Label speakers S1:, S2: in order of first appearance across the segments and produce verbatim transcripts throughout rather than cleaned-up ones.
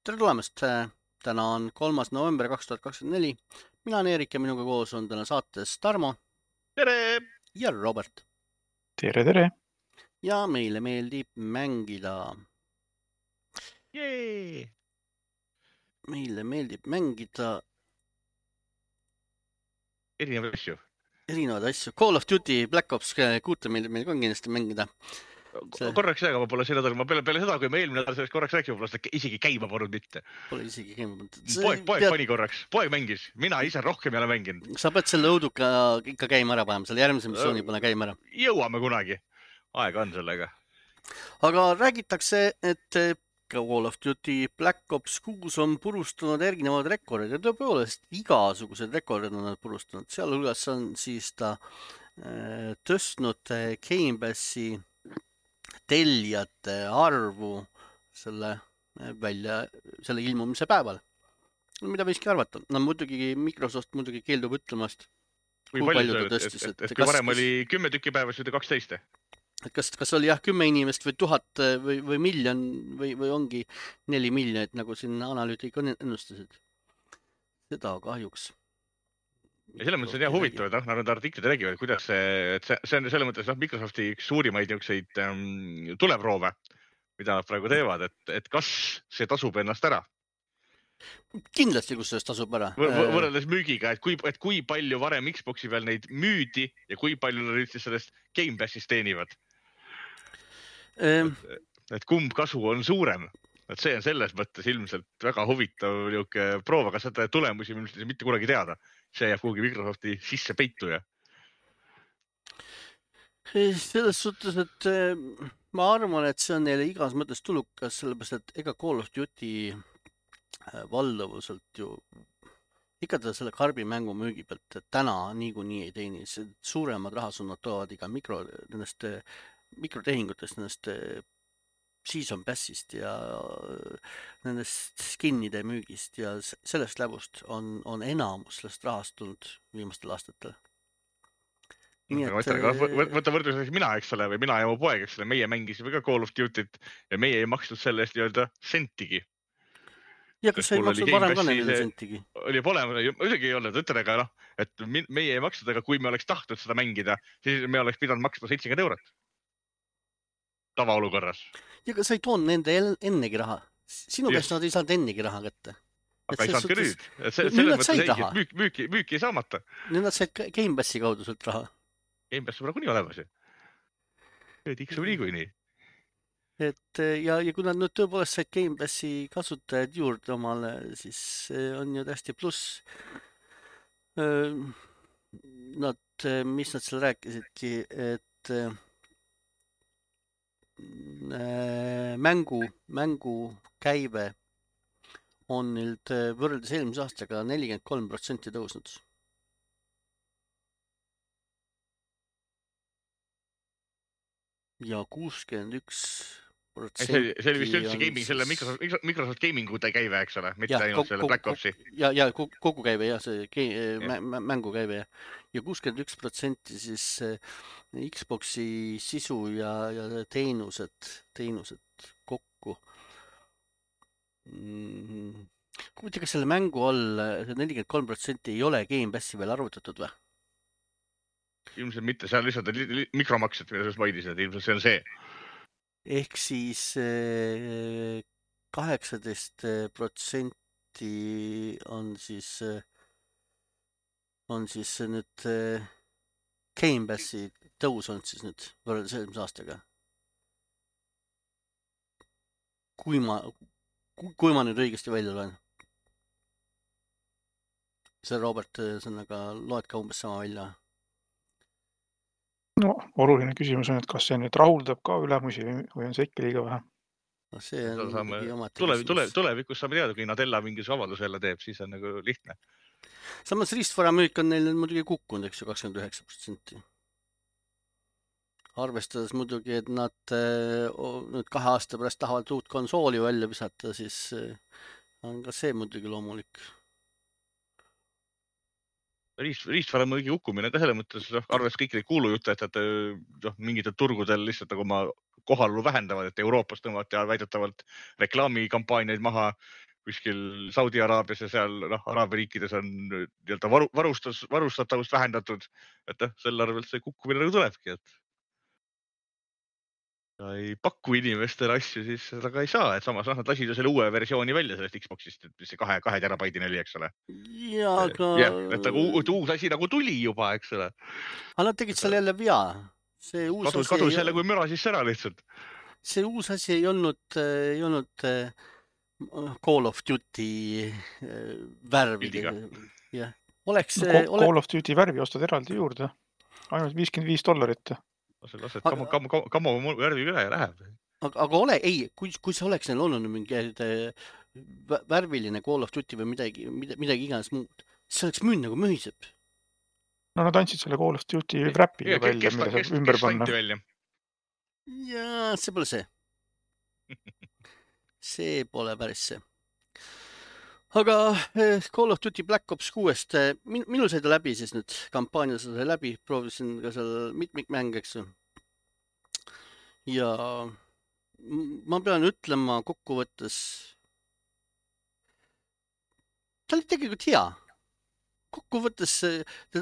S1: Tere tulemast! Täna on kolmas november kaks tuhat kakskümmend neli. Mina olen Eerik ja minuga koos on täna saates Tarmo
S2: Tere!
S1: ja Robert.
S3: Tere, tere!
S1: Ja meile meeldib mängida.
S2: Jee!
S1: Meile meeldib mängida
S2: Erinevaid asju.
S1: erinevaid asju. Call of Duty, Black Ops kuute meeldib meil ka kindlasti mängida.
S2: See... Korraks aega ma pole see nädal, ma peale, peale seda, kui me eelmine nädal sellest korraks rääkima, pole seda isegi käima polnud mitte.
S1: Pole isegi käima polnud.
S2: Poeg, poeg pead... pani korraks, poeg mängis, mina ise rohkem ei ole mänginud.
S1: Sa pead selle õuduka ikka käima ära panema, selle järgmise missiooni pole käima ära.
S2: Jõuame kunagi, aega on sellega.
S1: Aga räägitakse, et Call of Duty Black Ops kuus on purustanud erinevad rekordid ja tõepoolest igasugused rekordid on nad purustanud. Sealhulgas on siis ta äh, tõstnud Game Passi tellijate arvu selle välja, selle ilmumise päeval. Mida võiski arvata? No muidugi Microsoft muidugi keeldub ütlemast, kui, kui palju ta tõstis.
S2: Et, et, et kui varem kas... oli kümme tükki päevas või kaksteist?
S1: Et kas, kas oli jah kümme inimest või tuhat või, või miljon või, või ongi neli miljonit, nagu siin analüütik ennustasid. Seda kahjuks.
S2: Ja selle mõttes on jah huvitav, et nad artiklid räägivad, kuidas see, et see, see on selle mõttes noh, Microsofti üks suurimaid niisuguseid ähm, tuleproove, mida nad praegu teevad, et, et kas see tasub ennast ära.
S1: Kindlasti, kus sellest tasub ära.
S2: Võrreldes müügiga, et kui, et kui palju varem Xboxi peal neid müüdi ja kui palju nad üldse sellest Game Passist teenivad.
S1: Ähm.
S2: Et, et kumb kasu on suurem. Et see on selles mõttes ilmselt väga huvitav proov, aga seda tulemusi mitte kunagi teada. See jääb kuhugi Microsofti sisse peitu ja.
S1: Selles suhtes, et ma arvan, et see on neile igas mõttes tulukas, sellepärast, et ega Call of Duty valdavuselt ju ikka ta selle karbi mängu müügi pealt, et täna niikuinii ei teeni. Suuremad rahasunnad toovad iga mikro, nendest mikrotehingutest, nendest season passist ja nendest skinnide müügist ja sellest läbust on, on enamus sellest rahast tulnud viimastel aastatel.
S2: Nii et... Võtta võrdluseks mina, eks ole, või mina ja mu poeg, eks ole, meie mängisime ka Call of Duty't ja meie ei maksnud selle eest nii-öelda sentigi.
S1: Ja kas sa ei maksnud varem ka neile sentigi?
S2: Oli pole, muidugi ei olnud, ütlen, aga noh, et meie ei maksnud, aga kui me oleks tahtnud seda mängida, siis me oleks pidanud maksma seitsekümmend eurot. Tavaolukorras.
S1: Ja kas sa ei toonud nende ennegi raha? Sinu käest nad ei saanud ennegi raha kätte.
S2: Aga ei saanud ka nüüd. Selles mõttes ei, müük, müüki, müüki ei saamata.
S1: Nüüd nad said Game Passi kaudu sult raha.
S2: Game Pass on praegu nii olemas ju. Tiksub nii kui nii.
S1: Et ja, ja kui nad nüüd tõepoolest said Game Passi kasutajad juurde omale, siis on ju tästi pluss. Nad, mis nad seal rääkisidki, et mängu, mängu käive on nüüd võrreldes eelmise aastaga nelikümmend kolm protsenti tõusnud. Ja kuuskümmend üks protsenti.
S2: See oli vist üldse gaming, selle Microsoft, Microsoft Gamingu käive, eks ole, mitte ainult selle Black Opsi.
S1: Ja, ja kogu käive, ja see mängu käive. Ja kuuskümmend üks protsenti siis Xboxi sisu ja, ja teenused, teenused kokku. Kui mitte, kas selle mängu all nelikümmend kolm protsenti ei ole Game Passi veel arvutatud või?
S2: Ilmselt mitte, see on lihtsalt mikromaksed, mida sa maidisid, ilmselt see on see.
S1: Ehk siis kaheksateist protsenti on siis, on siis nüüd Game Passi tõus on siis nüüd võrreldes eelmise aastaga. Kui ma, kui ma nüüd õigesti välja loen. See Robert, sõnaga loed ka umbes sama välja.
S3: No, oluline küsimus on, et kas see nüüd rahuldab ka ülemusi või on see ikka liiga vähe?
S1: No see on
S2: saame, tulev, tulev, tulevikus saame teada, kui Nadella mingis avaldus jälle teeb, siis on nagu lihtne.
S1: Samas riistvara müük on neil muidugi kukkunud, eks ju, kakskümmend üheksa protsenti. Arvestades muidugi, et nad nüüd kahe aasta pärast tahavad uut konsooli välja visata, siis on ka see muidugi loomulik.
S2: Riist, riistvara mõõgi hukkumine ka selle mõttes, arvestades kõik neid kuulujutte, et, et noh, mingitel turgudel lihtsalt nagu oma kohalolu vähendavad, et Euroopas tõmmati väidetavalt reklaamikampaaniaid maha, kuskil Saudi Araabias ja seal noh, Araabia riikides on nii-öelda varu, varustus, varustatavust vähendatud, et noh, selle arvelt see kukkumine nagu tulebki, et ja ei paku inimestele asju, siis seda ka ei saa, et samas noh, nad lasid ju selle uue versiooni välja sellest Xboxist, et mis see kahe, kahe terabaidine oli, eks ole.
S1: Ja, aga...
S2: jah, et nagu uus asi nagu tuli juba, eks ole.
S1: Aga nad tegid selle jälle vea. See uus
S2: kadus,
S1: asi
S2: kadus
S1: ei...
S2: jälle kui müra siis ära lihtsalt.
S1: See uus asi ei olnud, ei olnud Call of Duty värviga. Jah. Oleks...
S3: No, Call oleks... of Duty värvi ostad eraldi juurde. Ainult viiskümmend viis dollarit.
S2: Lased kamo, kamo, kamo, kamo värvi üle ja läheb.
S1: Aga, aga ole, ei, kui, kui see oleks neil olnud mingi värviline Call of Duty või midagi, midagi iganes muud, see oleks müün nagu mühiseb.
S3: No nad andsid selle Call of Duty wrap'i ja, välja,
S2: kes,
S3: mille
S2: kes,
S3: saab ümber
S2: kes
S3: panna.
S1: Ja see pole see. See pole päris see. Aga Call of Duty Black Ops kuuest, min, minul sai ta läbi siis nüüd, kampaania sai läbi, proovisin ka seal mitmikmäng, eks ju. Ja ma pean ütlema kokkuvõttes, ta oli tegelikult hea. Kokkuvõttes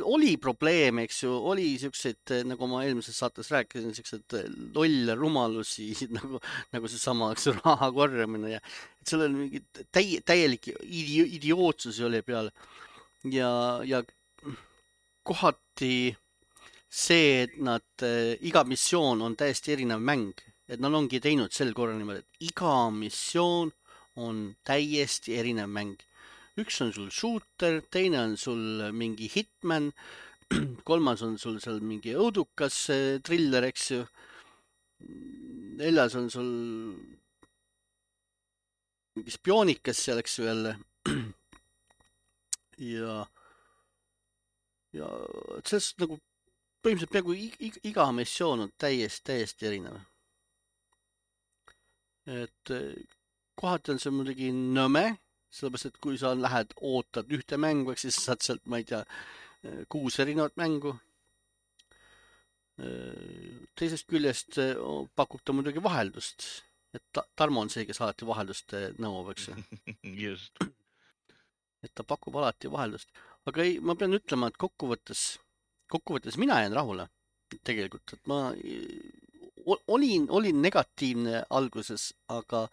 S1: oli probleeme, eks ju, oli siukseid, nagu ma eelmises saates rääkisin, siukseid lolle rumalusi, nagu, nagu see sama, eks raha korjamine ja et seal oli mingi täi, täielik idi, idiootsusi oli peal ja, ja kohati see, et nad, iga missioon on täiesti erinev mäng, et nad ongi teinud sel korral niimoodi, et iga missioon on täiesti erinev mäng. Üks on sul shooter, teine on sul mingi hitman, kolmas on sul seal mingi õudukas thriller, eks ju. Neljas on sul mingi spioonikas seal, eks ju jälle. Ja, ja selles nagu põhimõtteliselt peaaegu iga missioon on täiesti, täiesti erinev. Et kohati on see muidugi nõme, sellepärast, et kui sa lähed, ootad ühte mängu, siis saad sealt, ma ei tea, kuus erinevat mängu. Teisest küljest pakub ta muidugi vaheldust. Et Tarmo on see, kes alati vaheldust nõuab, eks ju.
S2: Just.
S1: Et ta pakub alati vaheldust. Aga ei, ma pean ütlema, et kokkuvõttes, kokkuvõttes mina jään rahule tegelikult. Et ma olin, olin negatiivne alguses, aga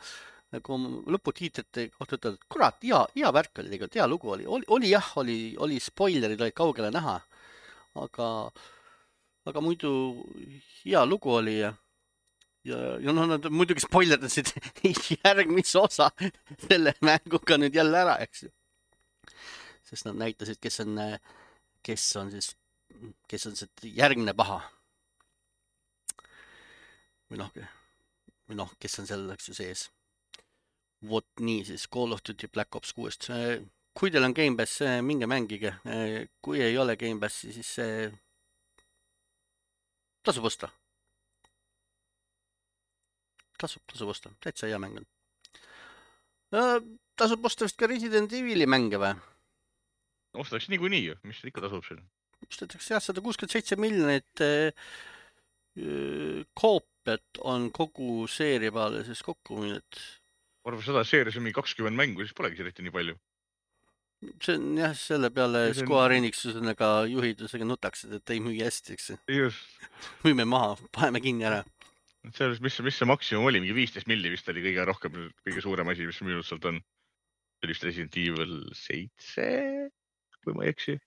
S1: kui lõputiitrite kohta ütled, et kurat, hea, hea värk oli tegelikult, hea lugu oli. Oli, oli jah, oli, oli spoilerid olid kaugele näha, aga, aga muidu hea lugu oli ja, ja, ja no nad muidugi spoilerdasid järgmise osa selle mänguga nüüd jälle ära, eks ju. Sest nad näitasid, kes on, kes on siis, kes on see järgmine paha. Või noh, või noh, kes on seal, eks ju, sees. Vot nii siis Call of Duty Black Ops kuuest. Kui teil on Game Pass, minge mängige. Kui ei ole Game Passi, siis see tasub osta. Tasub, tasub osta. Täitsa hea mäng on. Tasub osta vist ka Resident Evili mänge või?
S2: Ostaks niikuinii ju, mis ikka tasub siin?
S1: Ostatakse jah, sada kuuskümmend seitse miljonit koopiat on kogu seeria peale siis kokku müünud.
S2: Arvab seda seerias on mingi kakskümmend mängu, siis polegi eriti nii palju.
S1: See on jah, selle peale on... Square Enixusega juhidusega nutaksid, et ei müügi hästi, eks.
S2: Just.
S1: Müüme maha, paneme kinni ära.
S2: Selles, mis, mis see maksimum oli, mingi viisteist milli vist oli kõige rohkem, kõige suurem asi, mis müünud sealt on. See oli vist Resident Evil seitse, kui ma ei eksi.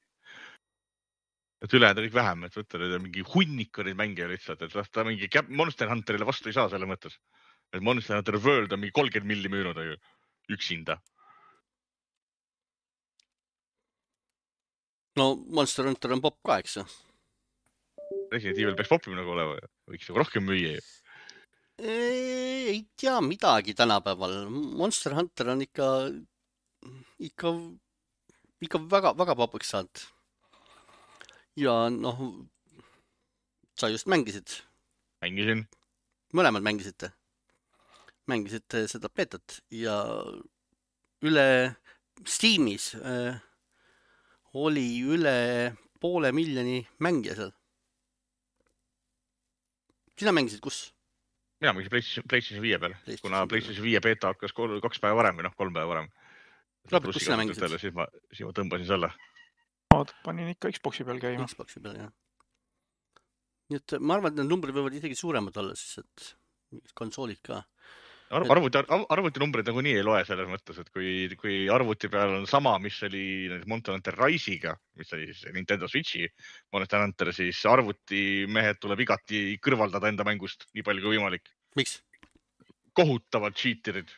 S2: Et üle enda kõik vähem, et võtta nüüd mingi hunnika neid mänge lihtsalt, et ta mingi Monster Hunterile vastu ei saa selle mõttes. Et Monster Hunter World on mingi kolmkümmend milli müünud üksinda.
S1: No Monster Hunter on pop ka, eks ju?
S2: Resident Evil peaks popim nagu olema, võiks nagu rohkem müüa.
S1: Ei tea midagi tänapäeval. Monster Hunter on ikka, ikka, ikka väga, väga popiks saanud. Ja noh, sa just mängisid.
S2: Mängisin.
S1: Mõlemad mängisite. Mängisite seda betat ja üle Steamis äh, oli üle poole miljoni mängija seal. Sina mängisid kus?
S2: Mina mängisin PlayStation viie peal, kuna PlayStation viie beta hakkas kaks päeva varem või noh, kolm päeva varem.
S1: Robert, kus sina mängisid?
S2: Siis ma, siis ma tõmbasin selle.
S3: Ma panin ikka Xboxi peal käima.
S1: Xboxi peal, jah. Nii et ma arvan, et need numbrid võivad isegi suuremad olla, siis et konsoolid ka.
S2: Ar arvuti, arvuti numbrid nagu nii ei loe selles mõttes, et kui, kui arvuti peal on sama, mis oli Monster Hunter Rise'iga, mis oli siis Nintendo Switchi Monster Hunter, siis arvuti mehed tuleb igati kõrvaldada enda mängust nii palju kui võimalik.
S1: Miks?
S2: Kohutavad cheaterid.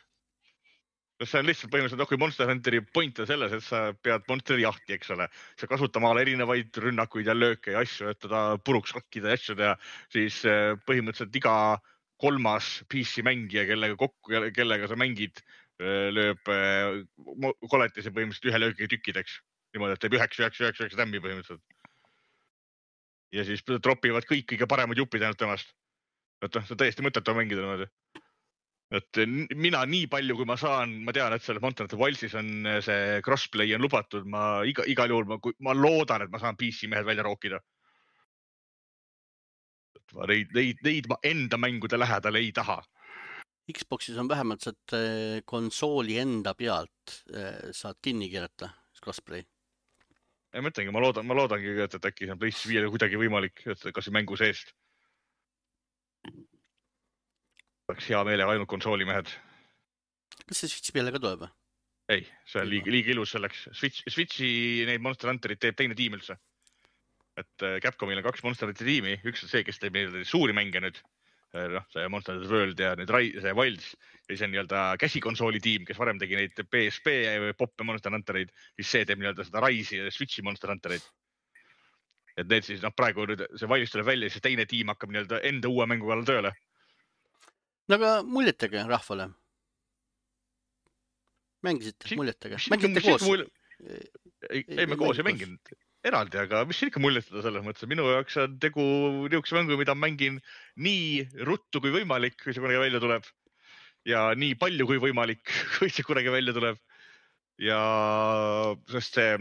S2: See on lihtsalt põhimõtteliselt, kui Monster Hunteri point on selles, et sa pead monsteri jahti, eks ole. Sa kasutama ala erinevaid rünnakuid ja lööke ja asju, et teda puruks hakkida ja asju teha, siis põhimõtteliselt iga kolmas P C mängija, kellega kokku, kellega sa mängid, lööb koletise põhimõtteliselt ühe löögi tükkideks. Niimoodi, et teeb üheksa, üheksa, üheksa, üheksa tämmi põhimõtteliselt. Ja siis tropivad kõik kõige paremad jupid ainult temast. Et see täiesti mõttetu mängida niimoodi. Et mina nii palju, kui ma saan, ma tean, et selle Monster Hunter Wildesis on see crossplay on lubatud. Ma iga, igal juhul, ma, ma loodan, et ma saan P C mehed välja rookida. Neid, neid, neid ma enda mängude lähedal ei taha.
S1: Xboxis on vähemalt saad konsooli enda pealt saad kinni keerata, crossplay.
S2: Ei mõtlengi, ma loodan, ma loodangi, et, et äkki see on PlayStation viiele kuidagi võimalik, et kas mängu seest. Oleks hea meelega ainult konsooli mehed.
S1: Kas see Switchi peale ka tuleb?
S2: Ei, see on liiga, liiga ilus selleks. Switch, Switchi neid Monster Hunterit teeb teine tiim üldse. Et Capcomil on kaks Monster Hunter tiimi. Üks on see, kes teeb suuri mänge nüüd. No, see Monster Hunter World ja nüüd see Wilds. Ja see on nii-öelda käsikonsooli tiim, kes varem tegi neid P S P poppe Monster Hunterid. Siis see teeb nii-öelda seda Rise'i ja Switchi Monster Hunterid. Et need siis, noh, praegu nüüd see Wilds tuleb välja, siis teine tiim hakkab nii-öelda enda uue mängu kallal tööle.
S1: No aga muljetega rahvale. Mängisite muljetega? Mängite koos?
S2: Mul... Ei, ei, me koos ei mänginud eraldi, aga mis siin ikka muljetada selles mõttes? Minu jaoks on tegu niisuguse mängu, mida mängin nii ruttu kui võimalik, kui see kunagi välja tuleb. Ja nii palju kui võimalik, kui see kunagi välja tuleb. Ja sest see,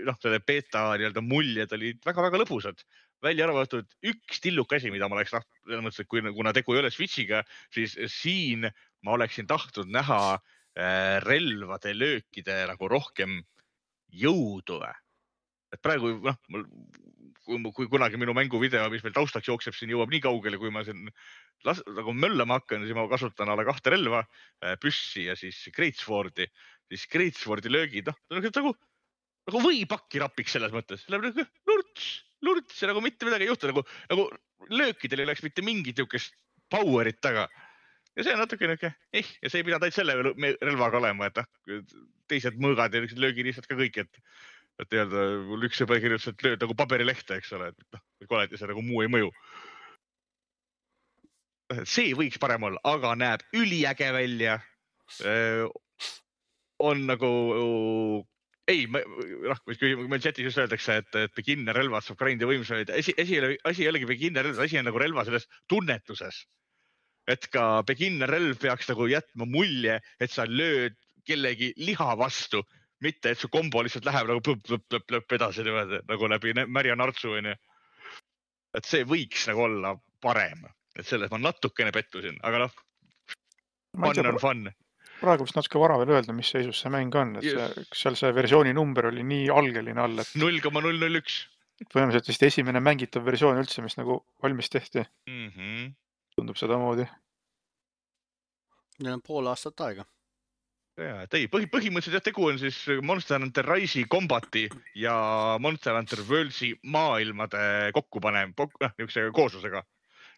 S2: noh, selle beta nii-öelda muljed olid väga-väga lõbusad. Välja arvatud üks tilluk asi, mida ma oleks tahtnud, selles mõttes, et kui, kuna tegu ei ole Switchiga, siis siin ma oleksin tahtnud näha relvade löökide nagu rohkem jõudu. Et praegu, noh, kui, kui kunagi minu mänguvideo, mis meil taustaks jookseb, siin jõuab nii kaugele, kui ma siin las, nagu möllama hakkan, siis ma kasutan alla kahte relva, püssi ja siis Greatswordi. Siis Greatswordi löögid, noh, nagu, nagu või pakki rapiks selles mõttes. Läheb nagu lurts, lurts ja nagu mitte midagi ei juhtu. Nagu, nagu löökidel ei oleks mitte mingit niisugust powerit taga. Ja see on natuke niisugune, eh, ja see ei pidanud ainult selle relvaga olema, et teised mõõgad ja löögi lihtsalt ka kõik, et, et öelda, mul üks sõber kirjutas, et lööd nagu paberilehte, eks ole, et noh, koleti see nagu muu ei mõju. See võiks parem olla, aga näeb üliäge välja. On nagu, ei, kui meil chatis just öeldakse, et, et beginner relvad saab grindi võimsust. Asi, asi ei olegi beginner relvad, asi on nagu relva selles tunnetuses. Et ka beginner relv peaks nagu jätma mulje, et sa lööd kellegi liha vastu, mitte et su kombo lihtsalt läheb nagu plõp, plõp, plõp, plõp edasi nagu läbi märja nartsu. Et see võiks nagu olla parem. Et selles ma natukene pettusin, aga noh, fun on fun.
S3: Praegu vist natuke vara veel öelda, mis seisus see mäng on. Et see, seal see versiooni number oli nii algeline all, et
S2: null koma null null üks.
S3: Põhimõtteliselt vist esimene mängitav versioon üldse, mis nagu valmis tehti.
S2: Mm-hmm.
S3: Tundub seda moodi.
S1: Neil on pool aastat aega.
S2: Ja, ei, põhi, põhimõtteliselt jah, tegu on siis Monster Hunter Rise'i kombati ja Monster Hunter Worldsi maailmade kokkupanem, niisuguse kooslusega.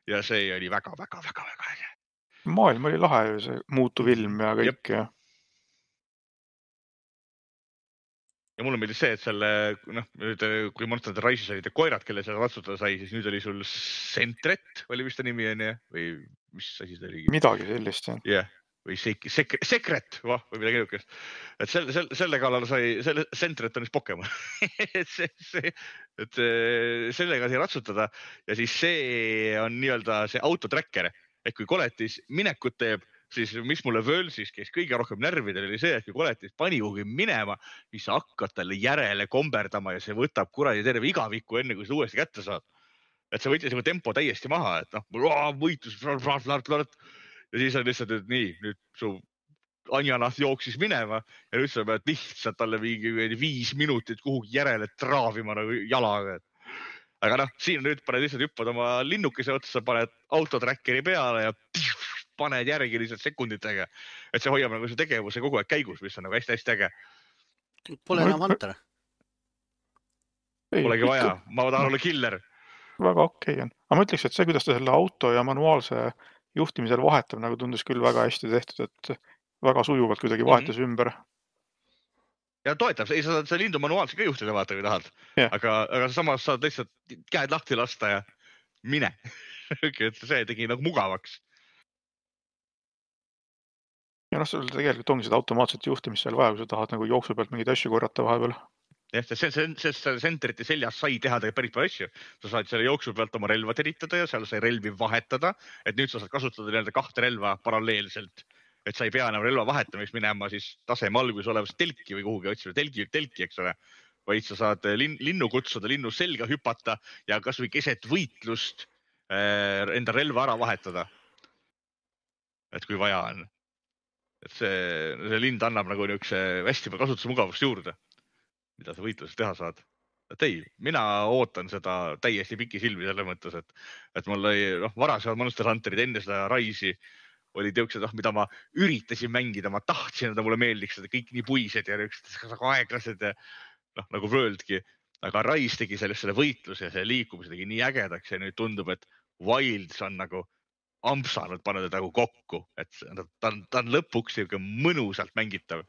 S2: Ja see oli väga, väga, väga, väga äge.
S3: Maailm oli lahe, see muutuv ilm ja kõik. Ja,
S2: ja mulle meeldis see, et selle, noh, nüüd, kui Monster Hunter Rise'is olid koerad, kelle seal ratsutada sai, siis nüüd oli sul Sentret, oli vist ta nimi on, ja? Või mis asi ta oli?
S3: Midagi sellist, jah.
S2: Yeah. Või sek sek sekret, va, või midagi niukest. Et selle, selle, selle kallal sai, selle Sentret on vist Pokemon. et see, see, et sellega sai ratsutada ja siis see on nii-öelda see autotracker. Et kui koletis minekut teeb, siis mis mulle Worldsis käis kõige rohkem närvidel oli see, et kui koletis pani kuhugi minema, siis sa hakkad talle järele komberdama ja see võtab kuradi terve igaviku enne, kui seda uuesti kätte saad. Et see võttis nagu tempo täiesti maha, et noh, võitlus, ja siis on lihtsalt, et nii, nüüd su Anjanahv jooksis minema ja nüüd sa pead lihtsalt talle mingi viis minutit kuhugi järele traavima nagu jalaga. Aga noh, siin nüüd paned lihtsalt hüppad oma linnukese otsa, paned autotrackeri peale ja pff, paned järgi lihtsalt sekunditega. Et see hoiab nagu see tegevuse kogu aeg käigus, mis on nagu hästi-hästi äge.
S1: Pole enam Hunter.
S2: Polegi vaja, ma tahan olla killer.
S3: Väga okei on. Aga ma ütleks, et see, kuidas ta selle auto ja manuaalse juhtimisel vahetab, nagu tundus küll väga hästi tehtud, et väga sujuvalt kuidagi vahetas mm-hmm. ümber.
S2: Ja toetab, ei sa see lindu manuaalselt ka juhtida vaata, kui tahad. Yeah. Aga, aga samas saad lihtsalt käed lahti lasta ja mine. Et see tegi nagu mugavaks.
S3: Ja noh, sul tegelikult ongi seda automaatset juhtimist seal vaja, kui sa tahad nagu jooksu pealt mingeid asju korrata vahepeal.
S2: Jah, see, see, see, see senterite seljas sai teha päris palju asju. Sa saad selle jooksu pealt oma relva teritada ja seal sai relvi vahetada. Et nüüd sa saad kasutada nii-öelda kahte relva paralleelselt. Et sa ei pea enam relva vahetamist minema siis taseme alguses olevast telki või kuhugi otsima. Telki, telki, eks ole. Vaid sa saad lin, linnu kutsuda, linnu selga hüpata ja kas või keset võitlust äh, enda relva ära vahetada. Et kui vaja on. Et see, see lind annab nagu niukse hästi palju kasutusmugavust juurde, mida sa võitluses teha saad. Et ei, mina ootan seda täiesti piki silmi selle mõttes, et, et mul oli noh, varasemad Monster Hunterid enne seda Raisi oli teoksed, mida ma üritasin mängida, ma tahtsin, et mulle meeldiks, et kõik nii puised ja niisugused aeglased ja noh, nagu Worldki. Aga Rise tegi sellest selle võitluse ja selle liikumise tegi nii ägedaks ja nüüd tundub, et Wilds on nagu ampsanud pannud nagu kokku, et ta on, ta on lõpuks niisugune mõnusalt mängitav.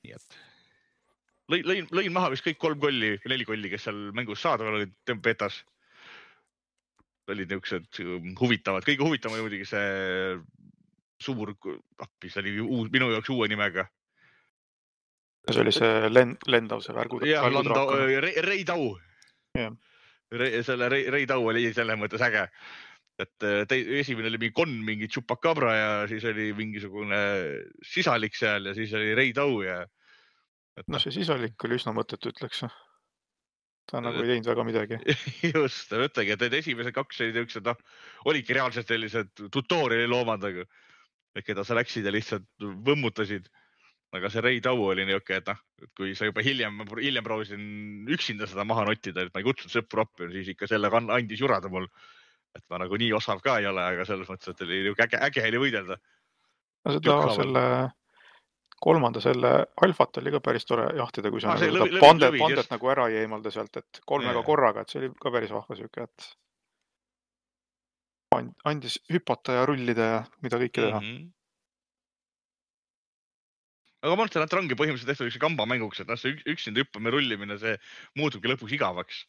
S2: Nii et lõin, lõin, lõin maha vist kõik kolm kolli, neli kolli, kes seal mängus saadaval olid betas. Olid niisugused huvitavad. Kõige huvitavam oli muidugi see suur appi, see oli uus, minu jaoks uue nimega.
S3: See oli see lend, lendav see värgu.
S2: Jah, Landau, Rei Tau.
S3: Yeah.
S2: Re, selle Rei, Rei Tau oli selles mõttes äge. Et te, esimene oli mingi konn, mingi Chupacabra ja siis oli mingisugune sisalik seal ja siis oli Rei Tau ja... Et...
S3: No see sisalik oli üsna mõttetu, ütleks. Ta nagu ei teinud väga midagi.
S2: Just, mõtlegi, et esimesed kaks olid niisugused, noh, olidki reaalselt sellised tutoriali loomandaga, keda sa läksid ja lihtsalt võmmutasid. Aga see Rei Tau oli niisugune, et noh, kui sa juba hiljem, hiljem proovisin üksinda seda maha nottida, et ma ei kutsunud sõpru appi, siis ikka selle andis jurada mul. Et ma nagu nii osav ka ei ole, aga selles mõttes, et oli äge, äge oli võidelda.
S3: No seda selle kolmanda selle alfat oli ka päris tore jahtida, kui sa ah, nagu lõvi, pandet, lõvi, pandet nagu ära ei eemalda sealt, et kolmega korraga, et see oli ka päris vahva süke, et andis hüpata ja rullida ja mida kõike teha. Mm-hmm.
S2: Aga Monster Hunter ongi põhimõtteliselt tehtud üks kamba mänguks, et noh, see üksinda hüppamine rullimine, see muutubki lõpuks igavaks.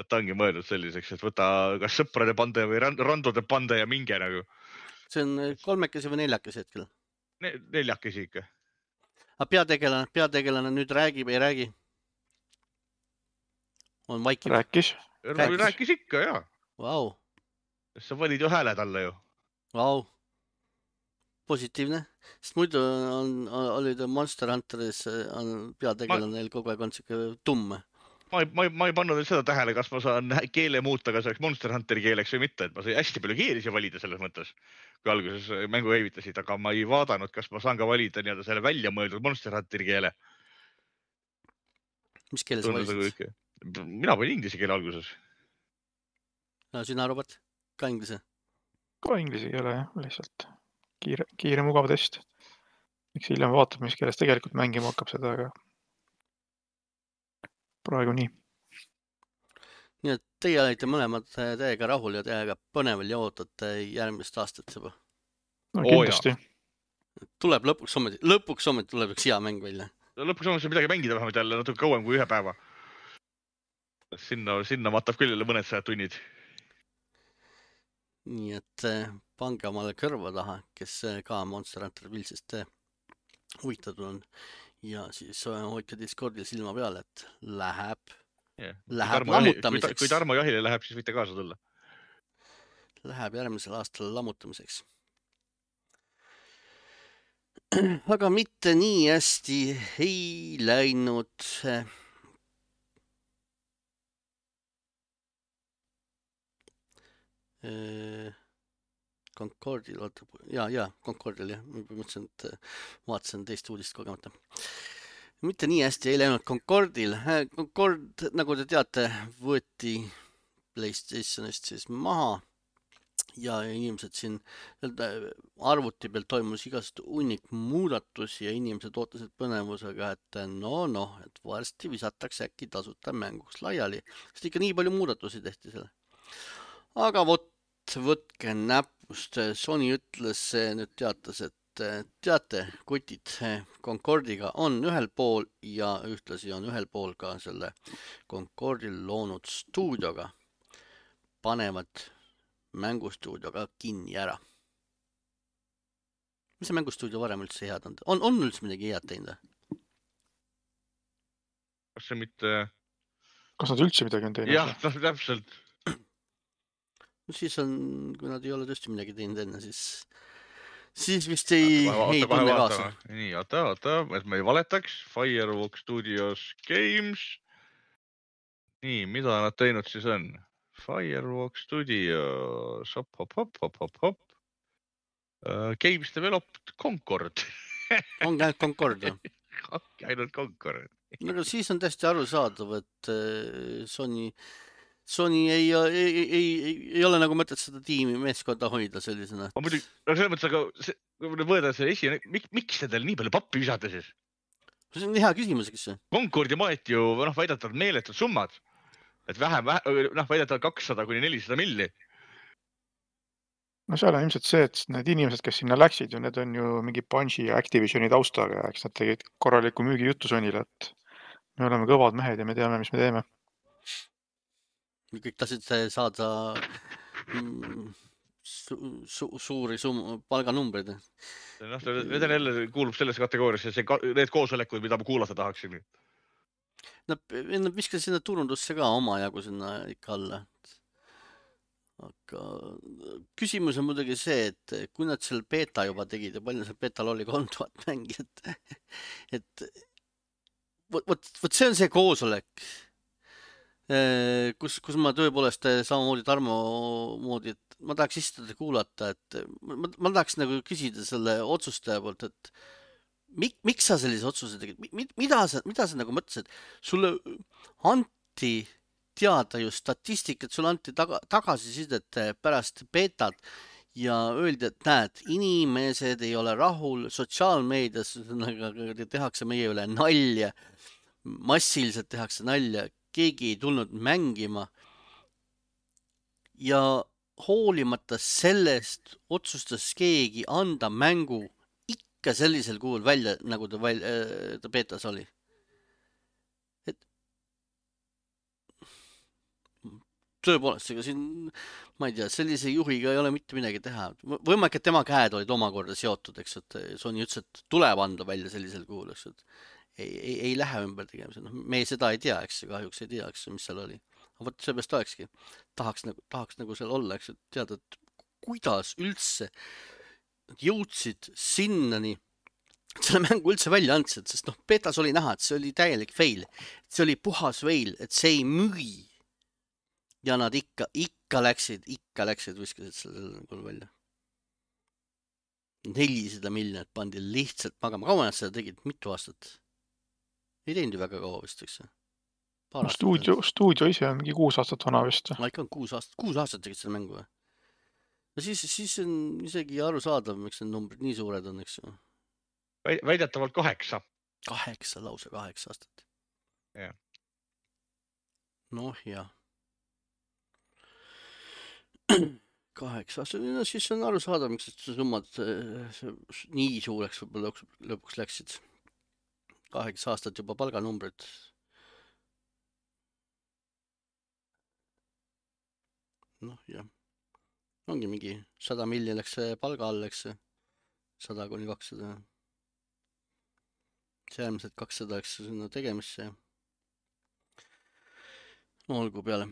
S2: Et ta ongi mõeldud selliseks, et võta kas sõprade pande või randode pande ja minge nagu.
S1: See on kolmekesi või neljakesi hetkel?
S2: Ne, neljakesi ikka.
S1: Aga peategelane, peategelane nüüd räägib, ei räägi? On vaikiv?
S3: Rääkis.
S2: Rääkis, rääkis ikka, jaa.
S1: Vau.
S2: Sa valid ju hääle talle ju.
S1: Vau. Positiivne. Sest muidu on, olid Monster Hunteris on peategelane neil kogu aeg on siuke tumme.
S2: Ma ei, ma, ei, ma ei pannud seda tähele, kas ma saan keele muuta, kas oleks Monster Hunteri keeleks või mitte, et ma sai hästi palju keelisi valida selles mõttes, kui alguses mängu evitasid, aga ma ei vaadanud, kas ma saan ka valida nii-öelda selle välja mõeldud Monster Hunteri keele.
S1: Mis keele sa valisid?
S2: Mina panin inglise keele alguses.
S1: No sina, Robert? Ka inglise?
S3: Ka inglise keele, jah, lihtsalt kiire, kiire mugav test. Miks hiljem vaatab, mis keeles tegelikult mängima hakkab seda, aga praegu nii.
S1: Nii et teie olite mõlemad täiega rahul ja täiega põneval ja ootate järgmist aastat juba.
S3: No kindlasti.
S1: Oh, tuleb lõpuks ometi, lõpuks ometi tuleb üks hea mäng välja.
S2: Lõpuks ometi midagi mängida vähemalt jälle natuke kauem kui ühe päeva. Sinna, sinna matab küll jälle mõned sajad tunnid.
S1: Nii et pange omale kõrva taha, kes ka Monster Hunter Wildsist huvitatud on. Ja siis hoidke Discordil silma peale, et läheb, yeah. läheb
S2: kui
S1: lammutamiseks.
S2: Kui, kui Tarmo jahile läheb, siis võite kaasa tulla.
S1: Läheb järgmisel aastal lammutamiseks. Aga mitte nii hästi ei läinud. Concordil, vaata, ja, ja, Concordil, jah, ma mõtlesin, et vaatasin teist uudist kogemata. Mitte nii hästi ei läinud Concordil. Concord, nagu te teate, võeti PlayStationist siis maha ja inimesed siin arvuti peal toimus igast hunnik muudatusi ja inimesed ootasid põnevusega, et no, noh, et varsti visatakse äkki tasuta mänguks laiali, sest ikka nii palju muudatusi tehti selle. Aga vot, võtke näpust. Sony ütles, nüüd teatas, et teate, kutid, Concordiga on ühel pool ja ühtlasi on ühel pool ka selle Concordil loonud stuudioga. Panevad mängustuudioga kinni ära. Mis see mängustuudio varem üldse head on? On, on üldse midagi head teinud?
S2: Kas see mitte...
S3: Kas nad üldse midagi on teinud?
S2: Jah, täpselt.
S1: No siis on, kui nad ei ole tõesti midagi teinud enne, siis, siis vist ei, vaata, ei tunne kaasa.
S2: Nii, oota, oota, et me ei valetaks. Firewalk Studios Games. Nii, mida nad teinud siis on? Firewalk Studios, hop, hop, hop, hop, hop, hop. Uh, Games developed Concord.
S1: On ainult Concord, jah?
S2: Ainult Concord.
S1: No, aga siis on täiesti arusaadav, et Sony, Sony ei, ei, ei, ei, ei ole nagu mõtet seda tiimi meeskonda hoida sellisena.
S2: Ma muidugi, no selles mõttes, aga see, kui võõda see esi, mik, miks see teil nii palju pappi visata siis?
S1: See on hea küsimus, kes see?
S2: Concordi maeti ju, noh, väidatavad meeletud summad. Et vähem, noh, väidatavad kakssada kuni nelisada milli.
S3: No seal on ilmselt see, et need inimesed, kes sinna läksid, ju need on ju mingi Bungi ja Activisioni taustaga, eks nad tegid korraliku müügi juttu Sonyle, et me oleme kõvad mehed ja me teame, mis me teeme.
S1: Kõik tasid saada su su suuri sum palganumbreid.
S2: Noh, need on jälle kuulub sellesse kategooriasse, see, need koosolekud, mida ma kuulata tahaksin.
S1: Nad viskasid sinna turundusse ka oma jagu sinna ikka alla. Aga küsimus on muidugi see, et kui nad seal beta juba tegid ja palju seal betal oli kolm tuhat mängijat, et võt, võt, võt see on see koosolek, kus, kus ma tõepoolest samamoodi Tarmo moodi, et ma tahaks istuda kuulata, et ma, ma tahaks nagu küsida selle otsustaja poolt, et mik, miks sa sellise otsuse tegid, mida sa, mida sa nagu mõtlesid, sulle anti teada ju statistikat, sulle anti taga, tagasisidet pärast betat ja öeldi, et näed, inimesed ei ole rahul, sotsiaalmeedias tehakse meie üle nalja, massiliselt tehakse nalja, keegi ei tulnud mängima ja hoolimata sellest otsustas keegi anda mängu ikka sellisel kuul välja, nagu ta, välja, ta betas oli. Tõepoolest, ega siin, ma ei tea, sellise juhiga ei ole mitte midagi teha. Võimalik, et tema käed olid omakorda seotud, eks, et Sony ütles, et tuleb anda välja sellisel kuul, eks, et ei, ei, ei lähe ümber tegemise. No, me seda ei tea, eks, kahjuks ei tea, eks, mis seal oli. Aga võt, seepärast olekski. Tahaks nagu, tahaks nagu seal olla, eks, et teada, et kuidas üldse jõudsid sinnani, selle mängu üldse välja andsid, sest noh, betas oli näha, et see oli täielik fail. See oli puhas fail, et see ei müü. Ja nad ikka, ikka läksid, ikka läksid, viskasid selle kuul välja. nelisada miljonit pandi lihtsalt magama. Kaua nad seda tegid? Mitu aastat? Ei teinud ju väga kaua vist, eks?
S3: Stuudio, stuudio ise on mingi kuus aastat vana vist.
S1: Ma ikka on kuus aastat, kuus aastat tegid selle mängu. No siis, siis on isegi aru saadav, miks need numbrid nii suured on, eks ju.
S2: Väidetavalt kaheksa.
S1: Kaheksa, lause kaheksa aastat.
S2: Yeah.
S1: Noh, jah. Kaheksa aastat, no siis on aru saada, miks see summad nii suureks võib-olla lõpuks läksid. Kaheksa aastat juba palganumbrid. Noh, jah. Ongi mingi sada milli läks palga all, eks sada kuni kakssada. See äärmiselt kakssada läks sinna tegemisse. No, olgu peale.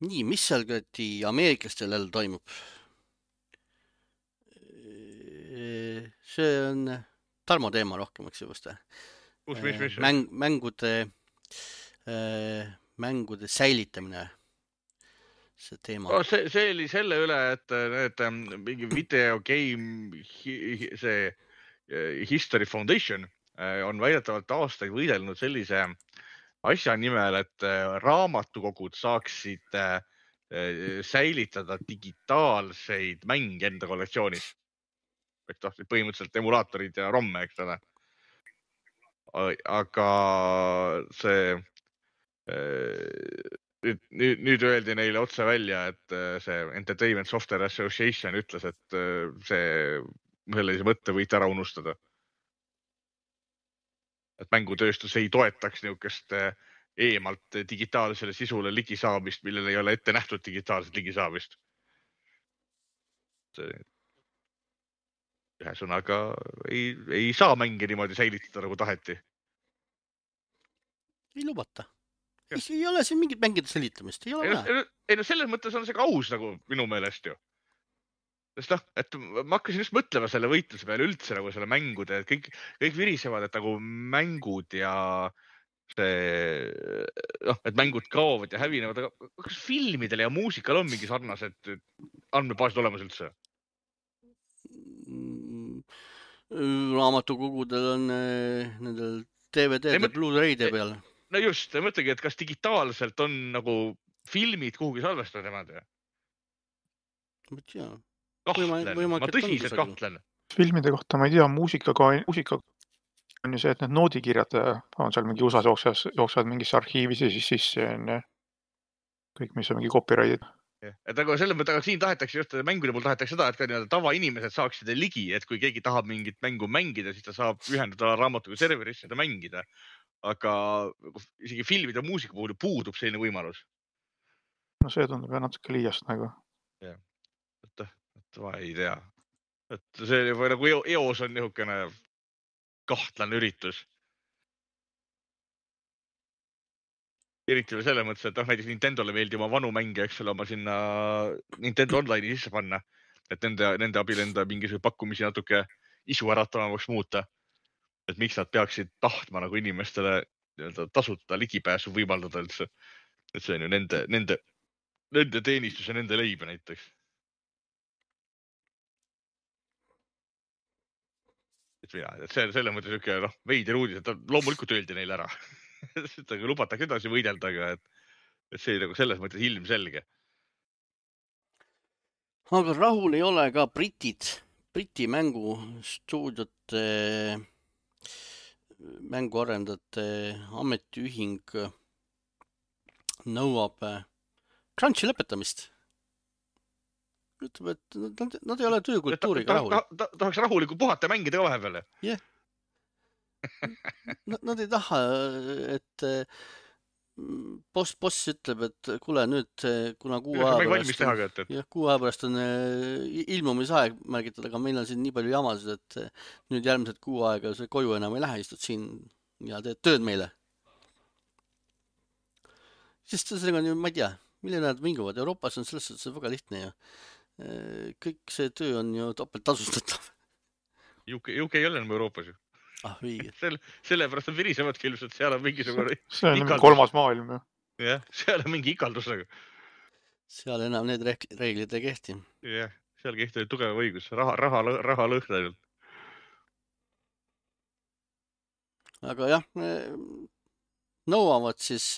S1: Nii, mis seal kõeti ameeriklastel jälle toimub? See on Tarmo teema rohkem, eks just.
S2: Kus, mis, mis?
S1: Mäng, mängude, mängude säilitamine. see teema
S2: oh,. See, see oli selle üle, et need mingi video game, see History Foundation on väidetavalt aastaid võidelnud sellise asja nimel, et raamatukogud saaksid säilitada digitaalseid mänge enda kollektsioonis. Eks tahtsid põhimõtteliselt emulaatorid ja romme, eks ole. Aga see nüüd, nüüd, nüüd öeldi neile otse välja, et see Entertainment Software Association ütles, et see sellise mõtte võite ära unustada. Et mängutööstus ei toetaks niisugust eemalt digitaalsele sisule ligisaamist, millel ei ole ette nähtud digitaalset ligisaamist. See ühesõnaga ei, ei saa mänge niimoodi säilitada, nagu taheti.
S1: Ei lubata. Ei, ei ole siin mingit mängide säilitamist. Ei ole vaja.
S2: Ei no selles mõttes on see ka aus nagu minu meelest ju. Sest noh, et ma hakkasin just mõtlema selle võitluse peale üldse nagu selle mängude, et kõik, kõik virisevad, et nagu mängud ja see, noh, et mängud kaovad ja hävinevad, aga kas filmidel ja muusikal on mingi sarnased andmebaasid olemas üldse?
S1: Raamatukogudel on nendel D V D-d ja Blu-ray'de peal.
S2: No just, mõtlegi, et kas digitaalselt on nagu filmid kuhugi salvestada nemad?
S1: Ma tea.
S2: Kahtlen, ma tõsiselt kahtlen.
S3: Filmide kohta ma ei tea, muusikaga muusika on ju see, et need noodikirjad on seal mingi U S A-s jooksvad mingisse arhiivis ja siis sisse on kõik, mis on mingi copyrighted.
S2: Et aga selle mõtte, aga siin tahetakse just mängude puhul tahetakse seda, et ka nii-öelda tavainimesed saaksid ligi, et kui keegi tahab mingit mängu mängida, siis ta saab ühendada raamatuga serverisse seda mängida. Aga isegi filmide ja muusika puhul puudub selline võimalus.
S3: No see tundub ja natuke liiast nagu.
S2: Jah, et, et ma ei tea. Et see või nagu eos on niisugune kahtlane üritus. Eriti selle mõttes, et noh, näiteks Nintendole meeldi oma vanu mänge, eks ole, oma sinna Nintendo Online'i sisse panna, et nende, nende abil enda mingisugune pakkumisi natuke isu äratavamaks muuta. Et miks nad peaksid tahtma nagu inimestele tasuta ligipääsu võimaldada üldse. Et see on ju nende, nende, nende teenistus ja nende leibe näiteks. Et mina, et see, selle mõttes niisugune noh, veider uudis, et loomulikult öeldi neile ära. Seda lubatakse edasi võidelda, aga et, et see nagu selles mõttes ilmselge.
S1: Aga rahul ei ole ka britid, Briti mängustuudiote, mänguarendajate ametiühing nõuab crunchi lõpetamist. Ütleb, et nad, nad ei ole töökultuuriga ta, rahul.
S2: Ta, ta, tahaks rahulikult puhata ja mängida ka vahepeale.
S1: Jah. Nad, nad ei taha, et boss, boss ütleb, et kuule nüüd, kuna kuu aja pärast on,
S2: et...
S1: jah, kuu aja pärast on ilmumisaeg märgitud, aga meil on siin nii palju jamasid, et nüüd järgmised kuu aega see koju enam ei lähe, istud siin ja teed tööd meile. Sest sellega on ju, ma ei tea, milline nad minguvad. Euroopas on selles suhtes väga lihtne ju. Kõik see töö on ju topelt tasustatav.
S2: U K, U K ei ole enam Euroopas ju.
S1: Ah, õige.
S2: Selle, sellepärast on virisemadki ilmselt, seal on mingisugune
S3: see on ikaldus. Kolmas maailm ju.
S2: Jah, seal on mingi ikaldus nagu.
S1: Seal enam need reeglid ei kehti.
S2: Jah, seal kehti tugev õigus, raha, raha, raha lõhna ainult.
S1: Aga jah, nõuavad siis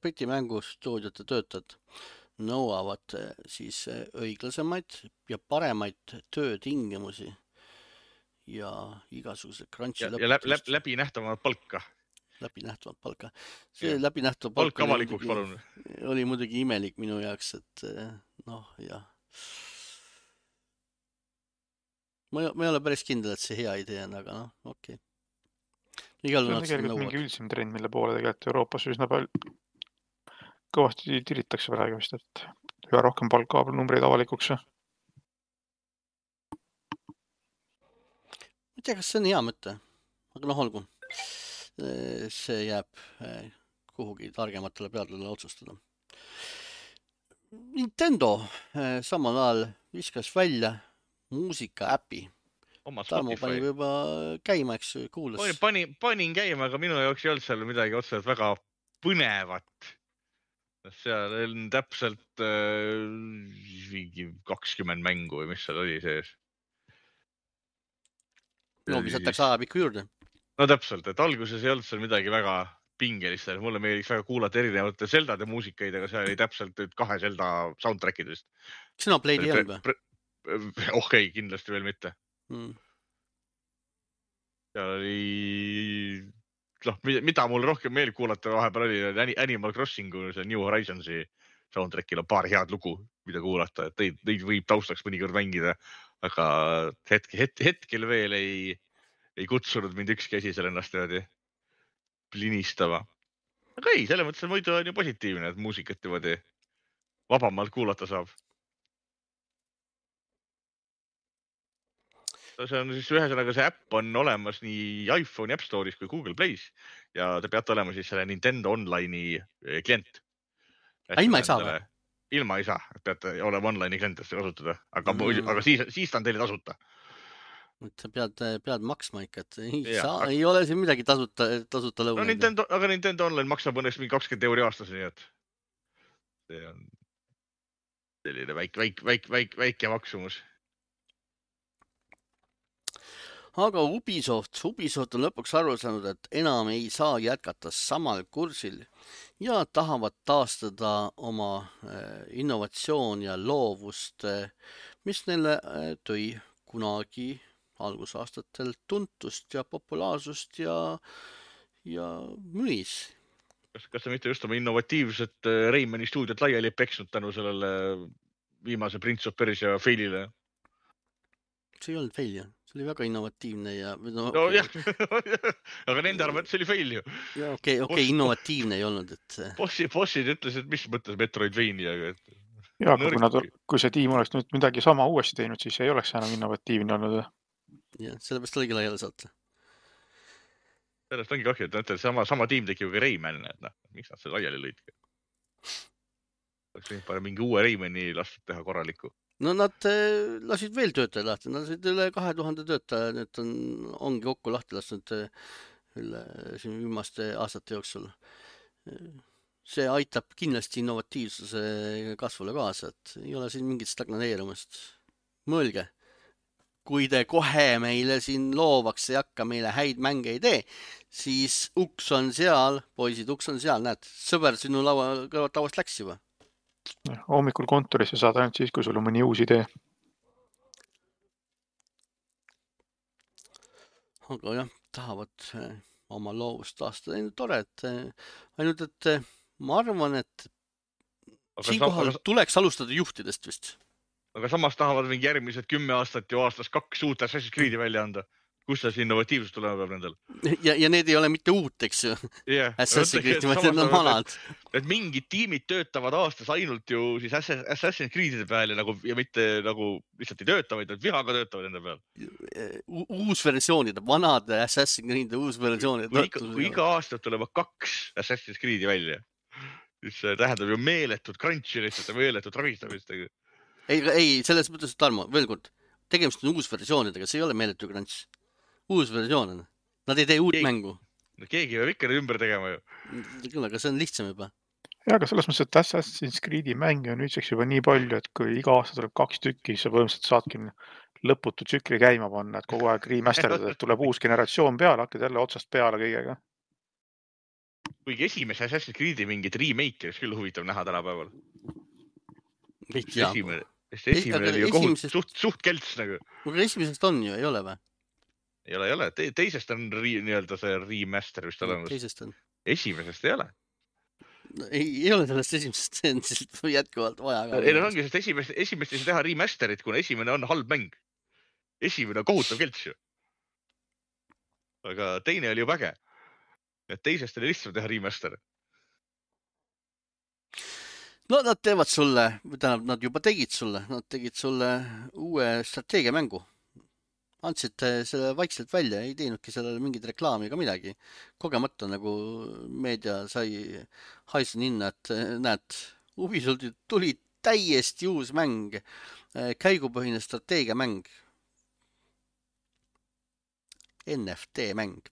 S1: Briti mängustuudiote töötajad, nõuavad siis õiglasemaid ja paremaid töötingimusi ja igasuguse crunchi
S2: ja, ja läbi, läbi, läbi nähtavat palka.
S1: Läbi nähtavat palka. See ja. Läbi nähtavat
S2: palk avalikuks palun.
S1: Oli muidugi imelik minu jaoks, et noh, jah. Ma, ma ei ole päris kindel, et see hea idee on, aga noh, okei. Okay.
S3: See on tegelikult mingi üldsim trend, mille poole tegelikult Euroopas üsna palju kõvasti tiritakse praegu vist, et üha rohkem palka numbreid avalikuks.
S1: Ma ei tea, kas see on hea mõte, aga noh, olgu. See jääb kuhugi targematele peadele otsustada. Nintendo samal ajal viskas välja muusika äpi. Tarmo pani juba käima, eks kuulas.
S2: Pani, panin käima, aga minu jaoks ei olnud seal midagi otseselt väga põnevat. seal on täpselt äh, kakskümmend mängu või mis seal oli sees.
S1: No, mis jätaks ajapikku juurde.
S2: No täpselt, et alguses ei olnud seal midagi väga pingelist. Mulle meeldiks väga kuulata erinevate Zeldade muusikaid, aga seal oli täpselt kahe Zelda soundtrackidest.
S1: Xenoblade ei olnud või?
S2: Oh ei, kindlasti veel mitte. Mm. Seal oli, noh, mida mul rohkem meeldib kuulata vahepeal oli Animal Crossingu, see New Horizonsi soundtrackil on paar head lugu, mida kuulata, et neid, neid võib taustaks mõnikord mängida, aga hetke, het, hetkel veel ei, ei kutsunud mind ükski asi seal ennast niimoodi linistama. Aga ei, selle mõttes muidu on ju positiivne, et muusikat niimoodi vabamalt kuulata saab. See on siis ühesõnaga, see äpp on olemas nii iPhone'i App Store'is kui Google Play's ja te peate olema siis selle Nintendo Online'i klient.
S1: Ilma ei saa või?
S2: Ilma ei saa, peate olema online'i klient, et seda kasutada, aga, mm. aga siis, siis ta on teile tasuta.
S1: Sa pead, pead maksma ikka, et ei, saa, aga... ei ole siin midagi tasuta, tasuta lõunaid.
S2: No Nintendo, aga Nintendo Online maksab õnneks mingi kakskümmend euri aastas, nii et see on selline väike, väike, väike, väike, väike maksumus.
S1: Aga Ubisoft, Ubisoft on lõpuks aru saanud, et enam ei saa jätkata samal kursil ja tahavad taastada oma innovatsioon ja loovust, mis neile tõi kunagi algusaastatel tuntust ja populaarsust ja, ja müis.
S2: Kas, kas ta mitte just oma innovatiivset Raymani stuudiot laiali peksnud tänu sellele viimase Prince of Persia failile?
S1: See ei olnud fail, jah. See oli väga innovatiivne ja...
S2: No, no jah, aga nende arvates oli fail ju.
S1: Ja okei, okay, okay, innovatiivne ei olnud, et...
S2: Bossi, bossid ütles, et mis mõttes Metroidvania, aga... Et...
S3: Ja, aga kui, nad, kui see tiim oleks nüüd midagi sama uuesti teinud, siis ei oleks enam innovatiivne olnud.
S1: Ja, sellepärast oligi laiali saata.
S2: Sellest ongi kahju, et näete, sama, sama tiim tegi ju ka Rayman, et noh, miks nad selle laiali lõidki? Oleks võinud pane mingi uue Raymani lastud teha korralikku.
S1: No nad lasid veel töötaja lahti, nad lasid üle kahe tuhande töötaja, nüüd on, ongi kokku lahti lastud üle siin viimaste aastate jooksul. See aitab kindlasti innovatiivsuse kasvule kaasa, et ei ole siin mingit stagnaneerumist. Mõelge, kui te kohe meile siin loovaks ei hakka, meile häid mänge ei tee, siis uks on seal, poisid, uks on seal, näed, sõber sinu laua kõrvalt lauast läks juba.
S3: Hommikul kontorisse saad ainult siis, kui sul on mõni uus idee.
S1: Aga jah, tahavad oma loovust taastada. Tore, et ainult, et ma arvan, et siin kohal aga... tuleks alustada juhtidest vist.
S2: Aga samas tahavad mingi järgmised kümme aastat ju aastas kaks uut Assassin's Creed'i välja anda. Kus see innovatiivsus tulema peab nendel?
S1: Ja, ja need ei ole mitte uut, eks ju.
S2: Yeah.
S1: Assassin's Creed'i, vaid need on vanad.
S2: Et, et mingid tiimid töötavad aastas ainult ju siis Assassin's Creed'ide peal ja, nagu, ja mitte nagu lihtsalt ei tööta, vaid nad vihaga töötavad enda peal.
S1: Uus versioonid, vanad Assassin's Creed'ide uus versioonid.
S2: Kui, iga, kui iga aasta tulema kaks Assassin's Creed'i välja, siis see tähendab ju meeletut crunchi lihtsalt ja meeletut ravistamist.
S1: Ei, ei, selles mõttes, Tarmo, veel kord, tegemist on uus versioonidega, see ei ole meeletu crunch. Uus versioon on. Nad ei tee uut keegi, mängu.
S2: No keegi peab ikka ümber tegema ju.
S1: Küll, aga see on lihtsam juba.
S3: Ja, aga selles mõttes, et Assassin's Creed'i mänge on nüüdseks juba nii palju, et kui iga aasta tuleb kaks tükki, siis sa põhimõtteliselt saadki lõputu tsükli käima panna, et kogu aeg remasterdada, et tuleb uus generatsioon peale, hakkad jälle otsast peale kõigega.
S2: Kuigi esimese Assassin's Creed'i mingit remake oleks küll huvitav näha tänapäeval. Esimene, esimene oli ju kohut, esimesest... suht, suht kelts nagu.
S1: Aga esimesest on ju, ei ole või?
S2: Ei ole, ei ole. Te, teisest on ri, nii-öelda see remaster vist olemas.
S1: Teisest on.
S2: Esimesest ei ole.
S1: No, ei, ei ole sellest esimesest, see on siis jätkuvalt vaja.
S2: Ei, no ongi, sest esimest, esimest ei saa teha remasterit, kuna esimene on halb mäng. Esimene on kohutav kelts ju. Aga teine oli ju väge. Et teisest oli lihtsalt teha remaster.
S1: No nad teevad sulle, tähendab, nad juba tegid sulle, nad tegid sulle uue strateegiamängu. Andsid selle vaikselt välja, ei teinudki sellele mingit reklaami ega midagi. Kogemata nagu meedia sai haisen hinna, et näed, Ubisoft tuli täiesti uus mäng, käigupõhine strateegiamäng. N F T mäng.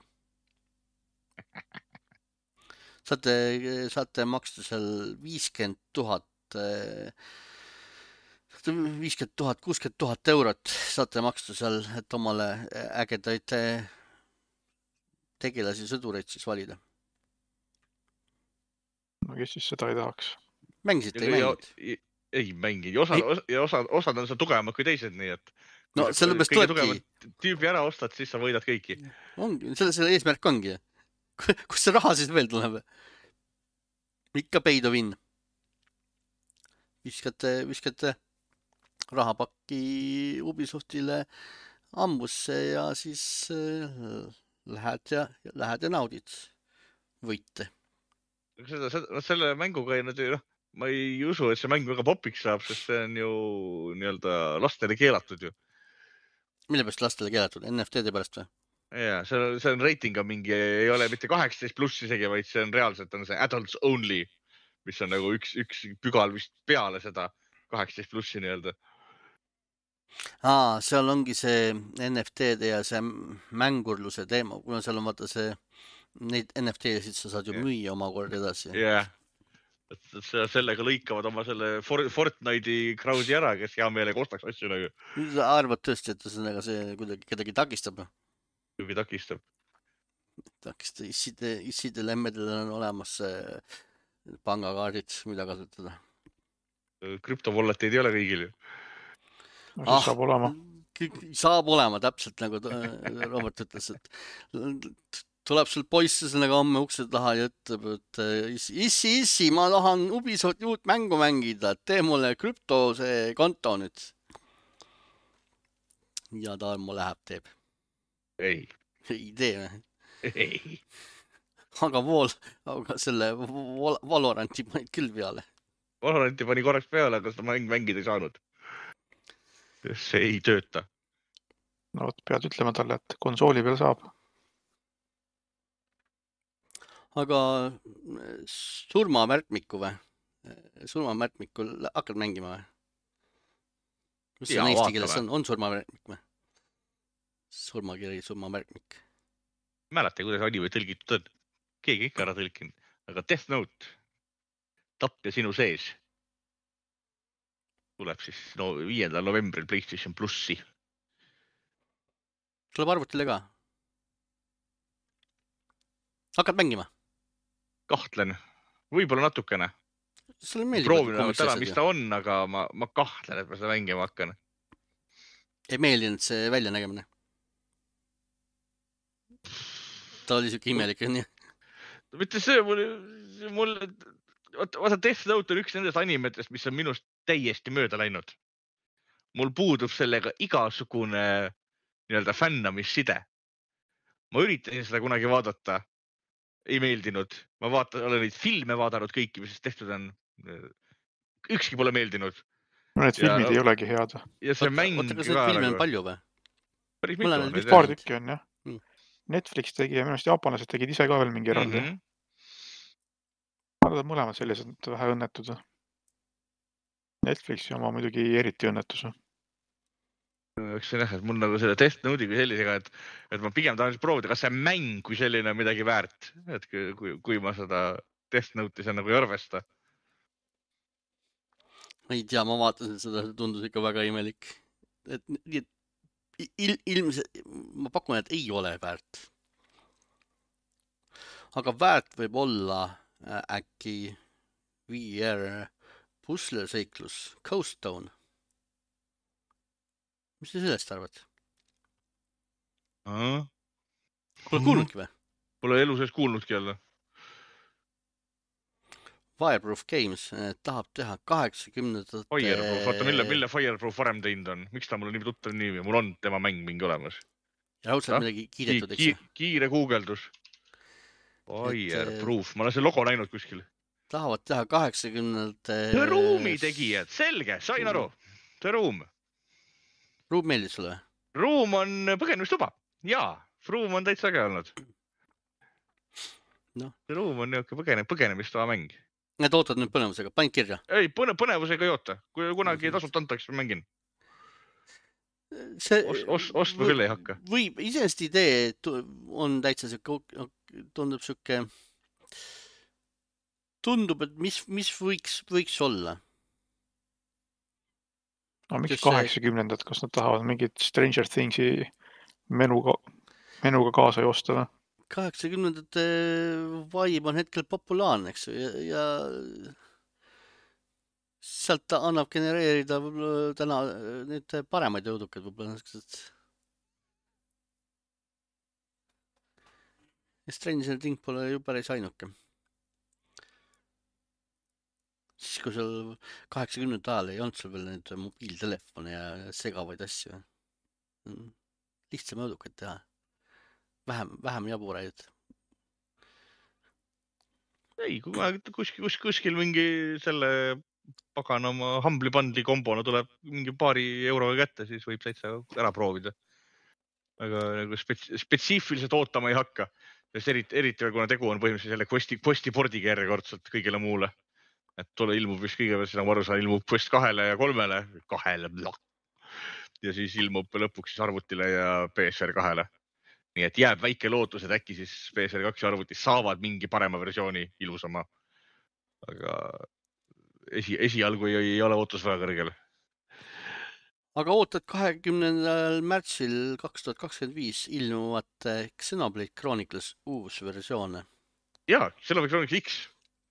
S1: saate, saate maksta seal viiskümmend tuhat, viiskümmend tuhat, kuuskümmend tuhat eurot saate maksta seal, et omale ägedaid tegelasi, sõdureid siis valida.
S3: No kes siis seda ei tahaks?
S1: Mängisite, ei mänginud?
S2: Ei mänginud. Ja osad, ja osad, osad on seal tugevamad kui teised, nii et
S1: no sellepärast
S2: kõige
S1: tulebki.
S2: Tugevad tüübi ära ostad, siis sa võidad kõiki.
S1: Ongi, selle, selle eesmärk ongi. Kus see raha siis veel tuleb? Ikka pay to win. Viskate, viskate rahapakki Ubisoftile ambusse ja siis lähed ja, lähed ja naudid võite.
S2: Seda, seda, selle mänguga ei, noh, ma ei usu, et see mäng väga popiks saab, sest see on ju nii-öelda lastele keelatud ju.
S1: Mille pärast lastele keelatud? N F T-de pärast või?
S2: Jaa, see on, see on reitinga mingi, ei ole mitte kaheksateist pluss isegi, vaid see on reaalselt on see adults only, mis on nagu üks, üks pügal vist peale seda kaheksateist plussi nii-öelda.
S1: Aa, seal ongi see N F T-de ja see mängurluse teema, kuna seal on vaata see, neid N F T-sid sa saad ju yeah. müüa omakorda edasi.
S2: Jah, yeah. et sellega lõikavad oma selle Fortnite'i crowd'i ära, kes hea meelega ostaks asju nagu.
S1: Sa arvad tõesti, et sellega see kuidagi kedagi takistab?
S2: Kuigi takistab.
S1: Takistab, isside, isside lemmedel on olemas pangakaardid, mida kasutada.
S2: Krüptovolleteid ei ole kõigil ju.
S3: No, ah, saab olema.
S1: Saab olema, täpselt nagu Robert ütles, et tuleb sul poiss sellega homme ukse taha ja ütleb, et issi, issi, ma tahan Ubisofti uut mängu mängida, tee mulle krüpto see konto nüüd. Ja ta mu läheb teeb.
S2: Ei.
S1: Ei tee.
S2: Ei.
S1: Aga vool, aga selle Valoranti panid küll peale.
S2: Valoranti pani korraks peale, aga seda mäng mängida ei saanud. See ei tööta.
S3: No võt, pead ütlema talle, et konsooli peal saab.
S1: Aga surmamärkmiku või? Surmamärkmikul hakkad mängima või? Kus see on eesti keeles? On, on surmamärkmik või? Surmakiri, surmamärkmik.
S2: Mäleta, kuidas anime tõlgitud on. Keegi ikka ära tõlkinud. Aga Death Note, tapja sinu sees, tuleb siis no, viiendal novembril PlayStation Plussi.
S1: Tuleb arvutile ka? Hakkad mängima?
S2: Kahtlen. Võib-olla natukene. Proovin täna, mis ta on, aga ma, ma kahtlen, et ma seda mängima hakkan.
S1: Ei meeldinud see välja nägemine? Ta oli siuke imelik, nii?
S2: Mitte see, mul, mul, vaata Death Note on üks nendest animetest, mis on minust täiesti mööda läinud. Mul puudub sellega igasugune nii-öelda fännamisside. Ma üritasin seda kunagi vaadata. Ei meeldinud. Ma vaatan, olen neid filme vaadanud kõiki, mis tehtud on. Ükski pole meeldinud.
S3: No need filmid ja, ei olegi head.
S2: Ja see mäng
S1: oota, kas neid filme on palju või?
S2: Päris mitu on.
S3: Paar tükki on, jah. Hmm. Netflix tegi ja minust jaapanlased tegid ise ka veel mingi eraldi. Mm -hmm. Arvad mõlemad sellised vähe õnnetud. Netflixi oma muidugi eriti õnnetus.
S2: Eks see näha, et mul nagu selle Death Note'i kui sellisega, et, et ma pigem tahan proovida, kas see mäng kui selline on midagi väärt, et kui, kui ma seda Death Note'i see nagu ei arvesta.
S1: Ma ei tea, ma vaatasin seda, see tundus ikka väga imelik. Et, il, ilmselt, ma pakun, et ei ole väärt. Aga väärt võib olla äkki V R pusleseiklus, Coast Town. Mis te sellest arvad?
S2: Aha.
S1: Pole kuulnudki või?
S2: Pole elu sees kuulnudki jälle.
S1: Fireproof Games tahab teha kaheksakümnendat...
S2: Fireproof, vaata mille, mille Fireproof varem teinud on? Miks ta mul on nii tuttav nimi? Mul on tema mäng mingi olemas.
S1: Ja raudselt midagi kiidetud, eks
S2: ki, kiire guugeldus. Fireproof, ma olen see logo näinud kuskil.
S1: Tahavad teha kaheksakümnendat...
S2: The Room'i tegijad, selge, sain aru. The Room.
S1: Room meeldib sulle?
S2: Room on põgenemistuba. Jaa, Room on täitsa äge olnud.
S1: No.
S2: Room on niuke põgene, põgenemistuba mäng.
S1: Need ootad nüüd põnevusega, panid kirja?
S2: Ei, põne, põnevusega ei oota. Kui kunagi tasult antakse, mängin.
S1: See,
S2: ost, ost, ostma küll ei hakka.
S1: Võib, iseenesest idee on täitsa siuke, tundub siuke tundub, et mis, mis võiks, võiks olla?
S3: No miks
S1: Sest see-
S3: kaheksakümnendad, kas nad tahavad mingit Stranger Thingsi menuga, menuga kaasa joosta või?
S1: kaheksakümnendate vibe on hetkel populaarne, eks ju, ja, ja sealt ta annab genereerida võib-olla täna neid paremaid jõudukaid võib-olla niisugused. Stranger Thing pole ju päris ainuke. Siis kui seal kaheksakümnendate ajal ei olnud sul veel neid mobiiltelefone ja segavaid asju. Lihtsam jõudukaid teha. Vähem, vähem jaburaid.
S2: ei, kui ma kuskil, kuskil, kuskil mingi selle paganama Humble'i bundle'i kombona tuleb mingi paari euroga kätte, siis võib täitsa ära proovida. Aga nagu spets, spetsiifiliselt ootama ei hakka. Sest eriti, eriti kuna tegu on põhimõtteliselt selle questi, questi pordiga järjekordselt kõigile muule. Et tule ilmub vist kõigepealt, nagu aru saan, ilmub quest kahele ja kolmele. Kahele. Ja siis ilmub lõpuks siis arvutile ja P S R kahele. Nii et jääb väike lootus, et äkki siis P S R kaks ja arvutis saavad mingi parema versiooni ilusama. Aga esi, esialgu ei, ei ole ootus väga kõrgel.
S1: Aga ootad kahekümnendal märtsil kaks tuhat kakskümmend viis ilmuvat Xenoblade Chronicles uus versioone.
S2: Jaa, Xenoblade Chronicles X.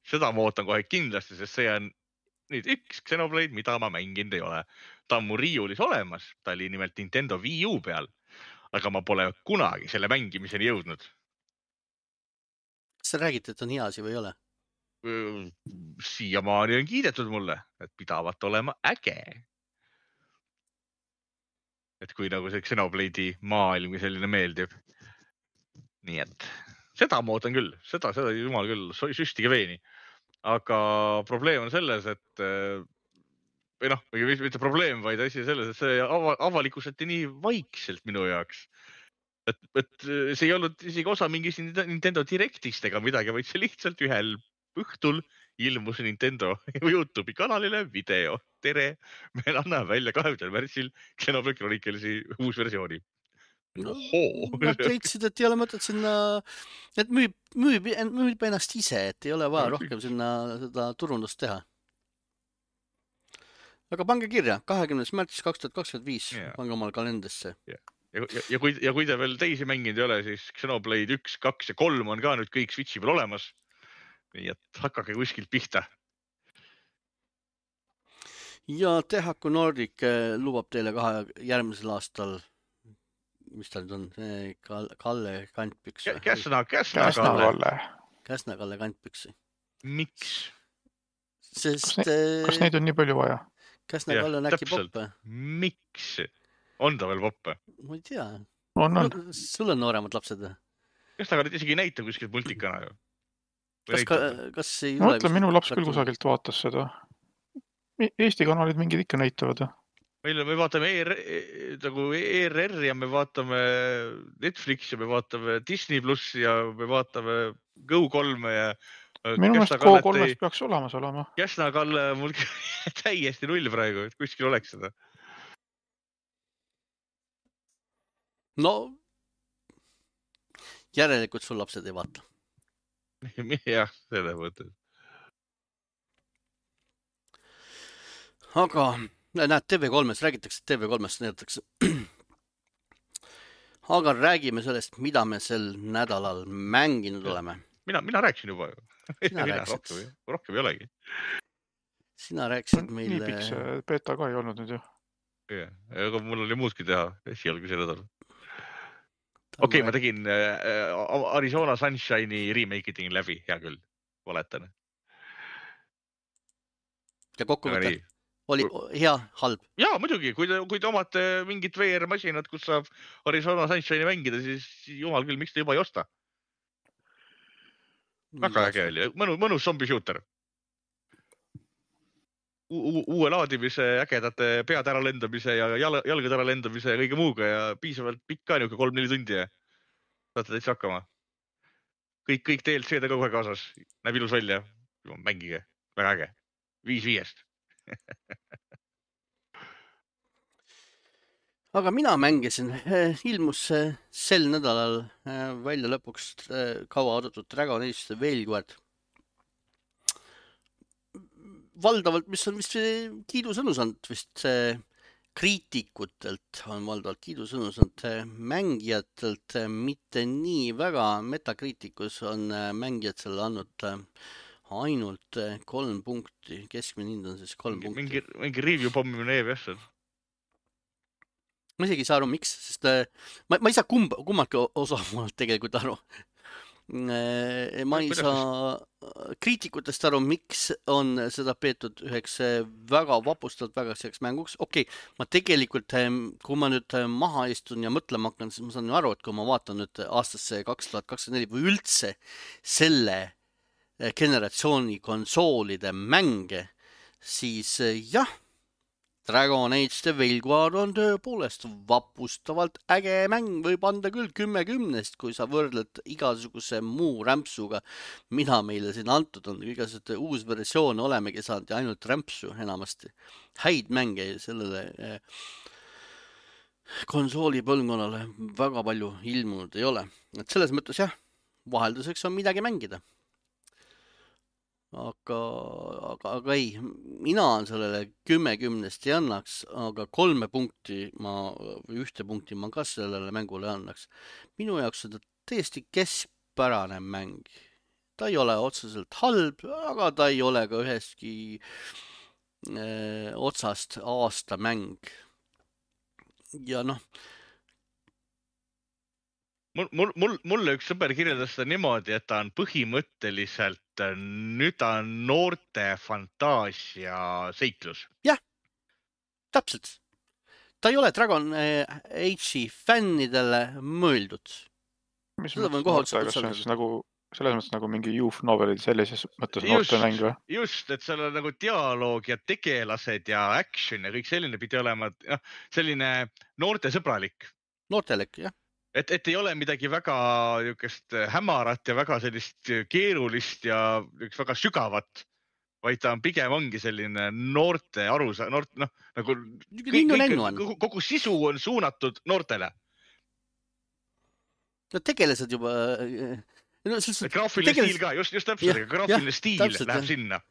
S2: Seda ma ootan kohe kindlasti, sest see on nüüd üks Xenoblade, mida ma mänginud ei ole. Ta on mu riiulis olemas. Ta oli nimelt Nintendo Wii U peal. Aga ma pole kunagi selle mängimiseni jõudnud.
S1: Kas sa räägid, et on hea asi või ei ole?
S2: Siiamaani on kiidetud mulle, et pidavat olema äge. Et kui nagu see Xenoblade'i maailm selline meeldib. Nii et seda ma ootan küll. Seda, seda jumal küll, süstige veeni. Aga probleem on selles, et või noh, mitte probleem, vaid asi selles, et see avalikuseti nii vaikselt minu jaoks. Et, et see ei olnud isegi osa mingist Nintendo Directist ega midagi, vaid see lihtsalt ühel õhtul ilmus Nintendo YouTube'i kanalile video. Tere, me anname välja kahekümnendal märtsil Xenoblade Chronicles'i uus versiooni.
S1: No, nad leidsid, et ei ole mõtet sinna, et müüb, müüb, müüb ennast ise, et ei ole vaja no, rohkem sinna seda turundust teha. Aga pange kirja, kahekümnes märts kaks tuhat kakskümmend viis, yeah. Pange omal kalendrisse.
S2: Yeah. Ja, ja, ja, kui, ja kui te veel teisi mänginud ei ole, siis Xenoblade üks, kaks ja kolm on ka nüüd kõik Switchi peal olemas. Nii et hakake kuskilt pihta.
S1: Ja Tehaku Nordic lubab teile kahe järgmisel aastal, mis ta nüüd on, Kalle kantpüks.
S2: Käsna, Käsna
S3: Kalle.
S1: Käsna Kalle kantpüksi.
S2: Miks?
S1: Sest,
S3: kas, ne, kas neid on nii palju vaja?
S1: Käsna Kalle on äkki poppe.
S2: Miks? On ta veel poppe?
S1: Ma ei tea.
S3: On, on.
S1: Sul on nooremad lapsed?
S2: Kas ta isegi ei näita kuskilt multikana ju?
S1: Kas, ka, kas ei
S3: ma mõtlen, minu laps küll kusagilt vaatas seda. Eesti kanalid mingid ikka näitavad.
S2: Meil me vaatame E R, nagu E R R ja me vaatame Netflix ja me vaatame Disney plus ja me vaatame Go kolme ja
S3: minu meelest Go kolmest peaks olemas olema.
S2: Käsna Kalle mul täiesti null praegu, et kuskil oleks seda.
S1: No, järelikult sul lapsed ei vaata.
S2: Jah, selle mõttes.
S1: Aga näed, T V kolmes räägitakse, T V kolmest näidatakse. Aga räägime sellest, mida me sel nädalal mänginud oleme.
S2: Mina, mina rääksin juba ju.
S1: Sina rääksid.
S2: Rohkem, rohkem ei olegi.
S1: Sina rääksid meile...
S3: Nii pikk see beta ka ei olnud nüüd ju.
S2: Yeah. Aga mul oli muudki teha esialgu see nädal. Okei, okay, ma tegin äh, Arizona Sunshine'i remake tegin läbi, hea küll, valetan.
S1: Ja kokkuvõte oli hea, halb?
S2: Jaa, muidugi, kui te, kui te omate mingit V R-masinat, kus saab Arizona Sunshine'i mängida, siis jumal küll, miks te juba ei osta? Väga äge oli, mõnu, mõnus zombi shooter. U uue laadimise, ägedate pead ära lendamise ja jal jalgad ära lendamise ja kõige muuga ja piisavalt pikka niuke kolm-neli tundi ja saate täitsa hakkama. Kõik, kõik D L C-d kogu aeg kaasas. Näeb ilus välja. Mängige. Väga äge. Viis viiest.
S1: Aga mina mängisin. Ilmus sel nädalal välja lõpuks kaua oodatud Dragon Age Veilguard. valdavalt, mis on vist kiidusõnu saanud vist kriitikutelt on valdavalt kiidusõnu saanud mängijatelt, mitte nii väga. Metacriticus on mängijad selle andnud ainult kolm punkti, keskmine hind on siis kolm
S2: mingi,
S1: punkti.
S2: mingi, mingi review pommimine E V S on.
S1: Ma isegi ei saa aru, miks, sest ma, ma ei saa kumba, kummaltki osapoolelt tegelikult aru. Ma ei saa kriitikutest aru, miks on seda peetud üheks väga vapustavalt väga selleks mänguks. Okei, okay, ma tegelikult, kui ma nüüd maha istun ja mõtlema hakkan, siis ma saan ju aru, et kui ma vaatan nüüd aastasse kaks tuhat kakskümmend neli või üldse selle generatsiooni konsoolide mänge, siis jah, Dragon Age The Veilguard on tõepoolest vapustavalt äge mäng, võib anda küll kümme kümnest, kui sa võrdled igasuguse muu rämpsuga, mida meile siin antud on. Igasugune uus versioon olemegi saanud ja ainult rämpsu enamasti. Häid mänge sellele konsooli põlvkonnale väga palju ilmunud ei ole. Et selles mõttes jah, vahelduseks on midagi mängida. Aga, aga, aga ei, mina on sellele kümme kümnest ei annaks, aga kolme punkti ma, või ühte punkti ma ka sellele mängule annaks. Minu jaoks on ta täiesti keskpärane mäng. Ta ei ole otseselt halb, aga ta ei ole ka üheski eh, otsast aasta mäng. Ja noh,
S2: Mul, mul, mul, mulle üks sõber kirjeldas seda niimoodi, et ta on põhimõtteliselt nüüd ta on noorte fantaasia seiklus.
S1: Jah, täpselt. Ta ei ole Dragon Age'i fännidele mõeldud.
S3: Mis mõttes noorte, kas see on siis nagu, selles mõttes nagu mingi youth novelid sellises mõttes noorte mäng või?
S2: Just, et seal on nagu dialoog ja tegelased ja action ja kõik selline pidi olema, ja selline noorte sõbralik.
S1: Noortelek, jah.
S2: Et, et ei ole midagi väga niisugust hämarat ja väga sellist keerulist ja väga sügavat, vaid ta on pigem ongi selline noorte arusa, noort, noh, nagu kõik, kõik, kogu sisu on suunatud noortele.
S1: No tegelased juba...
S2: No, graafiline tegeles... stiil ka, just, just täpselt, aga graafiline stiil täpselt, läheb jah. Sinna.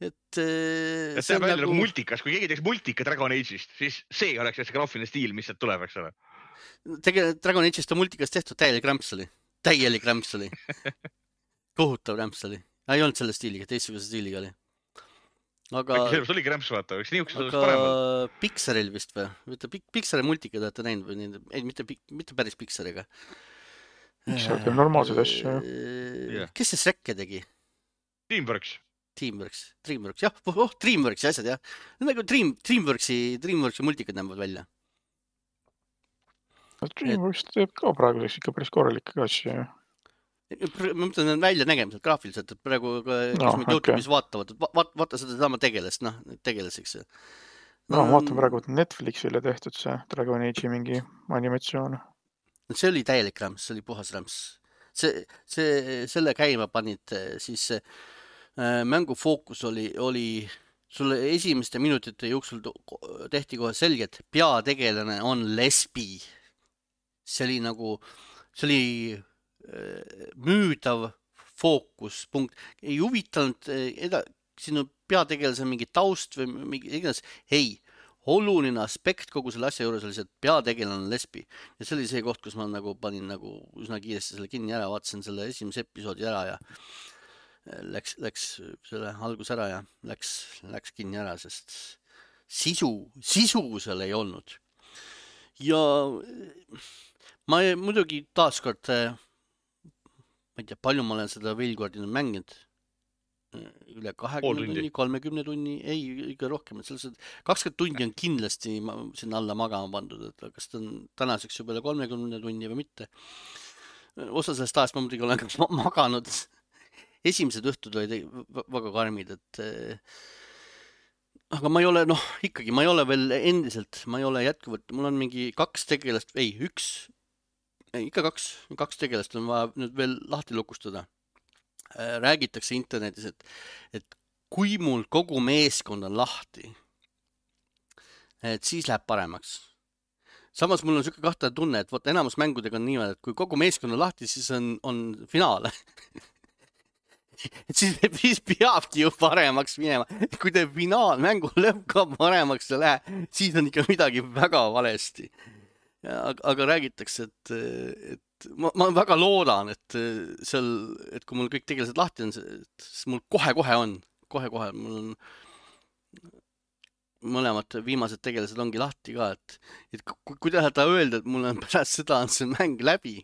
S1: Et,
S2: et see on välja nagu multikas, kui keegi teeks multika Dragon Age'ist, siis see oleks see graafiline stiil, mis sealt tuleb, eks ole.
S1: Tege, Dragon Age'ist on multikas tehtud täielik rämpsali. Täielik rämpsali. Kohutav rämpsali. Ei olnud selle stiiliga, teistsuguse stiiliga oli. Aga...
S2: Äkki selles oligi rämps vaata, eks niisugused oleks
S1: parem.
S2: Aga
S1: Pixaril vist või? Pixari multika te olete näinud või? Ei, mitte, mitte päris Pixariga.
S3: Pixar teeb normaalseid asju.
S1: Yeah. Kes see Shrek'e tegi?
S2: Teamworks.
S1: Teamworks. Dreamworks, jah. Oh, Dreamworksi asjad, jah. Nagu Dream, Dreamworksi, Dreamworksi multikad näevad välja.
S3: Dreamworks teeb ka praeguseks ikka päris korralikke asju.
S1: Ma mõtlen, et välja nägemiselt graafiliselt, et praegu, kes no, meid YouTube'is okay. vaatavad, vaata, vaata seda sama tegelast, noh, tegelaseks.
S3: No, ma vaatan praegu Netflixile tehtud see Dragon Age'i mingi animatsioon.
S1: See oli täielik rämps, see oli puhas rämps. See, see, selle käima panid, siis äh, mängu fookus oli, oli sulle esimeste minutite jooksul tehti kohe selge, et peategelane on lesbi. See oli nagu, see oli äh, müüdav fookuspunkt. Ei huvitanud eda, sinu peategelase mingi taust või mingi iganes. Ei, oluline aspekt kogu selle asja juures oli see, et peategelane on lesbi. Ja see oli see koht, kus ma nagu panin nagu üsna kiiresti selle kinni ära, vaatasin selle esimese episoodi ära ja läks, läks selle algus ära ja läks, läks kinni ära, sest sisu, sisu seal ei olnud. Ja ma muidugi taaskord, ma ei tea, palju ma olen seda Veilguardi mänginud, üle kahekümne tunni, kolmekümne tunni, ei, ikka rohkem, et selles kakskümmend tundi on kindlasti sinna alla magama pandud, et kas ta on tänaseks juba üle kolmekümne tunni või mitte. Osa sellest ajast ma muidugi olen ka maganud. Esimesed õhtud olid väga karmid, et aga ma ei ole, noh, ikkagi ma ei ole veel endiselt, ma ei ole jätkuvalt, mul on mingi kaks tegelast, ei, üks, ei, ikka kaks, kaks tegelast on vaja nüüd veel lahti lukustada. Räägitakse internetis, et, et kui mul kogu meeskond on lahti, et siis läheb paremaks. Samas mul on siuke kahtlane tunne, et võt, enamus mängudega on niimoodi, et kui kogu meeskond on lahti, siis on, on finaal. et siis, siis peabki ju paremaks minema. Kui te finaalmängu lõpp ka paremaks ei lähe, siis on ikka midagi väga valesti. Aga, aga räägitakse, et, et ma, ma väga loodan, et seal, et kui mul kõik tegelased lahti on, siis mul kohe-kohe on, kohe-kohe mul on mõlemad viimased tegelased ongi lahti ka, et, et kui, kui tahata öelda, et mul on pärast seda on see mäng läbi,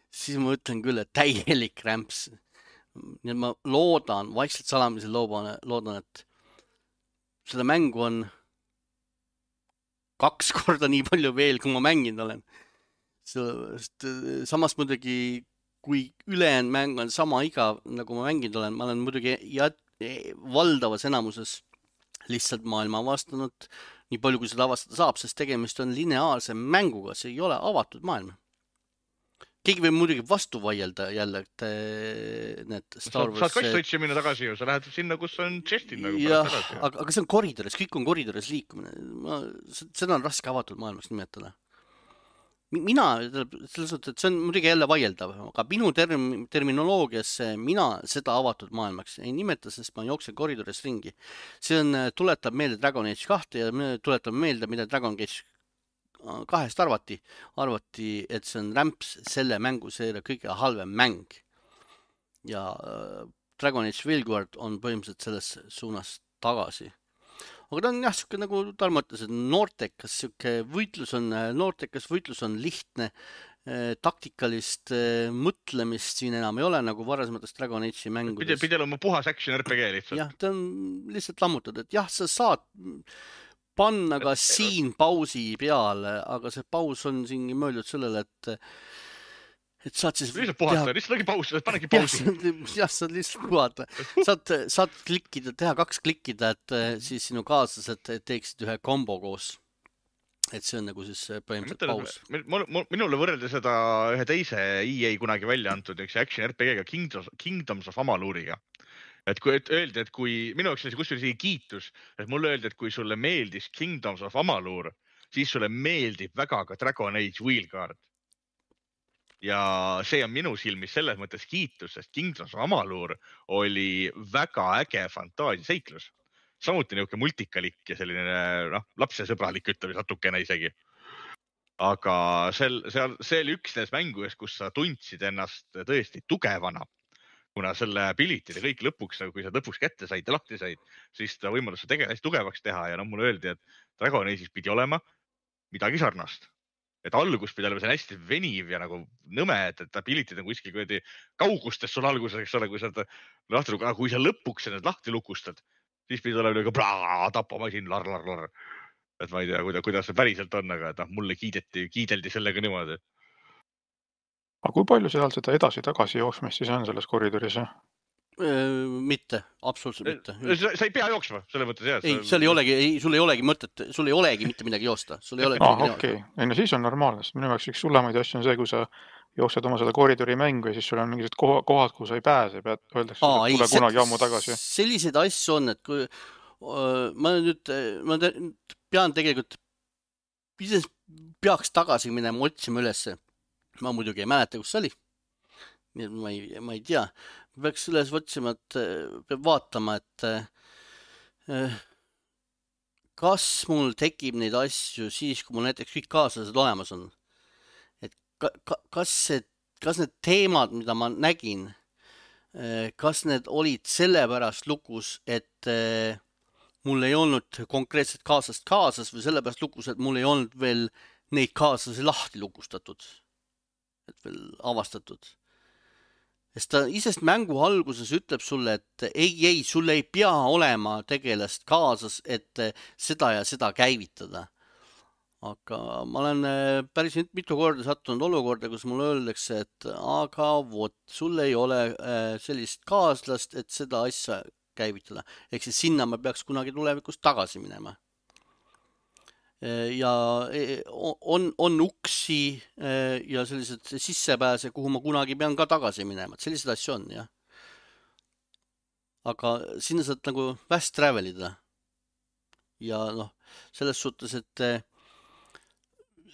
S1: siis ma ütlen küll, et täielik rämps. Nii et ma loodan, vaikselt salamisel loodan, loodan, et seda mängu on kaks korda nii palju veel, kui ma mänginud olen. Sest, samas muidugi, kui ülejäänud mäng on sama igav, nagu ma mänginud olen, ma olen muidugi jät, valdavas enamuses lihtsalt maailma avastanud nii palju, kui seda avastada saab, sest tegemist on lineaarse mänguga, see ei ole avatud maailm. Keegi võib muidugi vastu vaielda jälle, et need Star Wars...
S2: Saad kassotsi minna tagasi ju, sa lähed sinna, kus on chestin nagu
S1: jah, aga, aga see on koridores, kõik on koridores liikumine. Ma, seda on raske avatud maailmaks nimetada. Mina, selles suhtes, et see on muidugi jälle vaieldav, aga minu term, terminoloogias mina seda avatud maailmaks ei nimeta, sest ma jooksen koridores ringi. See on, tuletab meelde Dragon Age kahte ja tuletab meelde, mida Dragon Age kahest arvati. Arvati, et see on rämps selle mängu seeria kõige halvem mäng. Ja Dragon Age Veilguard on põhimõtteliselt selles suunas tagasi. Aga ta on jah, siuke nagu Tarmo ütles, et noortekas siuke võitlus on, noortekas võitlus on lihtne, taktikalist mõtlemist siin enam ei ole, nagu varasemates Dragon Age'i mängudes.
S2: Pidel oma puhas action R P G lihtsalt.
S1: Jah, ta on lihtsalt lammutad, et jah, sa saad panna ka siin pausi peale, aga see paus on siin mõeldud sellele, et et saad siis...
S2: Lihtsalt puhata, lihtsalt ongi paus, panegi pausi.
S1: Jah, saad lihtsalt puhata. Saad, saad klikkida, teha kaks klikkida, et siis sinu kaaslased teeksid ühe kombo koos. Et see on nagu siis põhimõtteliselt paus.
S2: Minule võrreldi seda ühe teise E A kunagi välja antud üks action R P G-ga Kingdoms, Kingdoms of Amaluriga. Et kui et öeldi, et kui minu jaoks oli kusjuures kiitus, et mulle öeldi, et kui sulle meeldis Kingdoms of Amalur, siis sulle meeldib väga ka Dragon Age Veilguard. Ja see on minu silmis selles mõttes kiitus, sest Kingdoms of Amalur oli väga äge fantaasiaseiklus. Samuti niuke multikalik ja selline noh, lapsesõbralik ütleme natukene isegi. Aga sel, seal, see oli üks neist mängudes, kus sa tundsid ennast tõesti tugevana. Kuna selle ability'd ja kõik lõpuks, kui sa lõpuks kätte said ja lahti said, siis ta võimalus sa tegelast tugevaks teha ja no mulle öeldi, et Dragon Age'is pidi olema midagi sarnast. Et algus pidi olema see hästi veniv ja nagu nõme, et, et ability'd on kuskil kuidagi kaugustes sul alguses, eks ole, kui sa, lahti, aga kui sa lõpuks need lahti lukustad, siis pidi olema nagu plaa, tapamasin, lar, lar, lar. Et ma ei tea, kuidas, kuidas see päriselt on, aga et noh, mulle kiideti, kiideldi sellega niimoodi.
S3: Aga kui palju seal seda edasi-tagasi jooksmist siis on selles koridoris?
S1: Mitte, absoluutselt mitte.
S2: Sa, sa ei pea jooksma, selle mõttes jah.
S1: Ei, seal ei olegi, ei, sul ei olegi mõtet, sul ei olegi mitte midagi joosta. Sul ei olegi
S3: ah, okei. Okay. Ei, no siis on normaalne. Minu jaoks üks sullemaid asju on see, kui sa jooksed oma seda koridori mängu ja siis sul on mingisugused kohad, kuhu sa ei pääse. Pead, öeldakse,
S1: Aa,
S3: et tule
S1: ei,
S3: kunagi ammu tagasi.
S1: Selliseid asju on, et kui ma nüüd ma pean tegelikult peaks tagasi minema otsima ülesse. Ma muidugi ei mäleta, kus see oli. Ma ei, ma ei tea. Peaks üles otsima, et peab vaatama, et kas mul tekib neid asju siis, kui mul näiteks kõik kaaslased olemas on. Et ka, kas, see, kas need teemad, mida ma nägin, kas need olid sellepärast lukus, et mul ei olnud konkreetset kaaslast kaasas või sellepärast lukus, et mul ei olnud veel neid kaaslasi lahti lukustatud. Et veel avastatud. Sest ta isest mängu alguses ütleb sulle, et ei, ei, sul ei pea olema tegelast kaasas, et seda ja seda käivitada. Aga ma olen päris mitu korda sattunud olukorda, kus mulle öeldakse, et aga vot, sul ei ole sellist kaaslast, et seda asja käivitada. Ehk siis sinna ma peaks kunagi tulevikus tagasi minema. Ja on, on uksi ja sellised sissepääse, kuhu ma kunagi pean ka tagasi minema. Sellised asju on, jah. Aga sinna saad nagu fast travelida. Ja noh, selles suhtes, et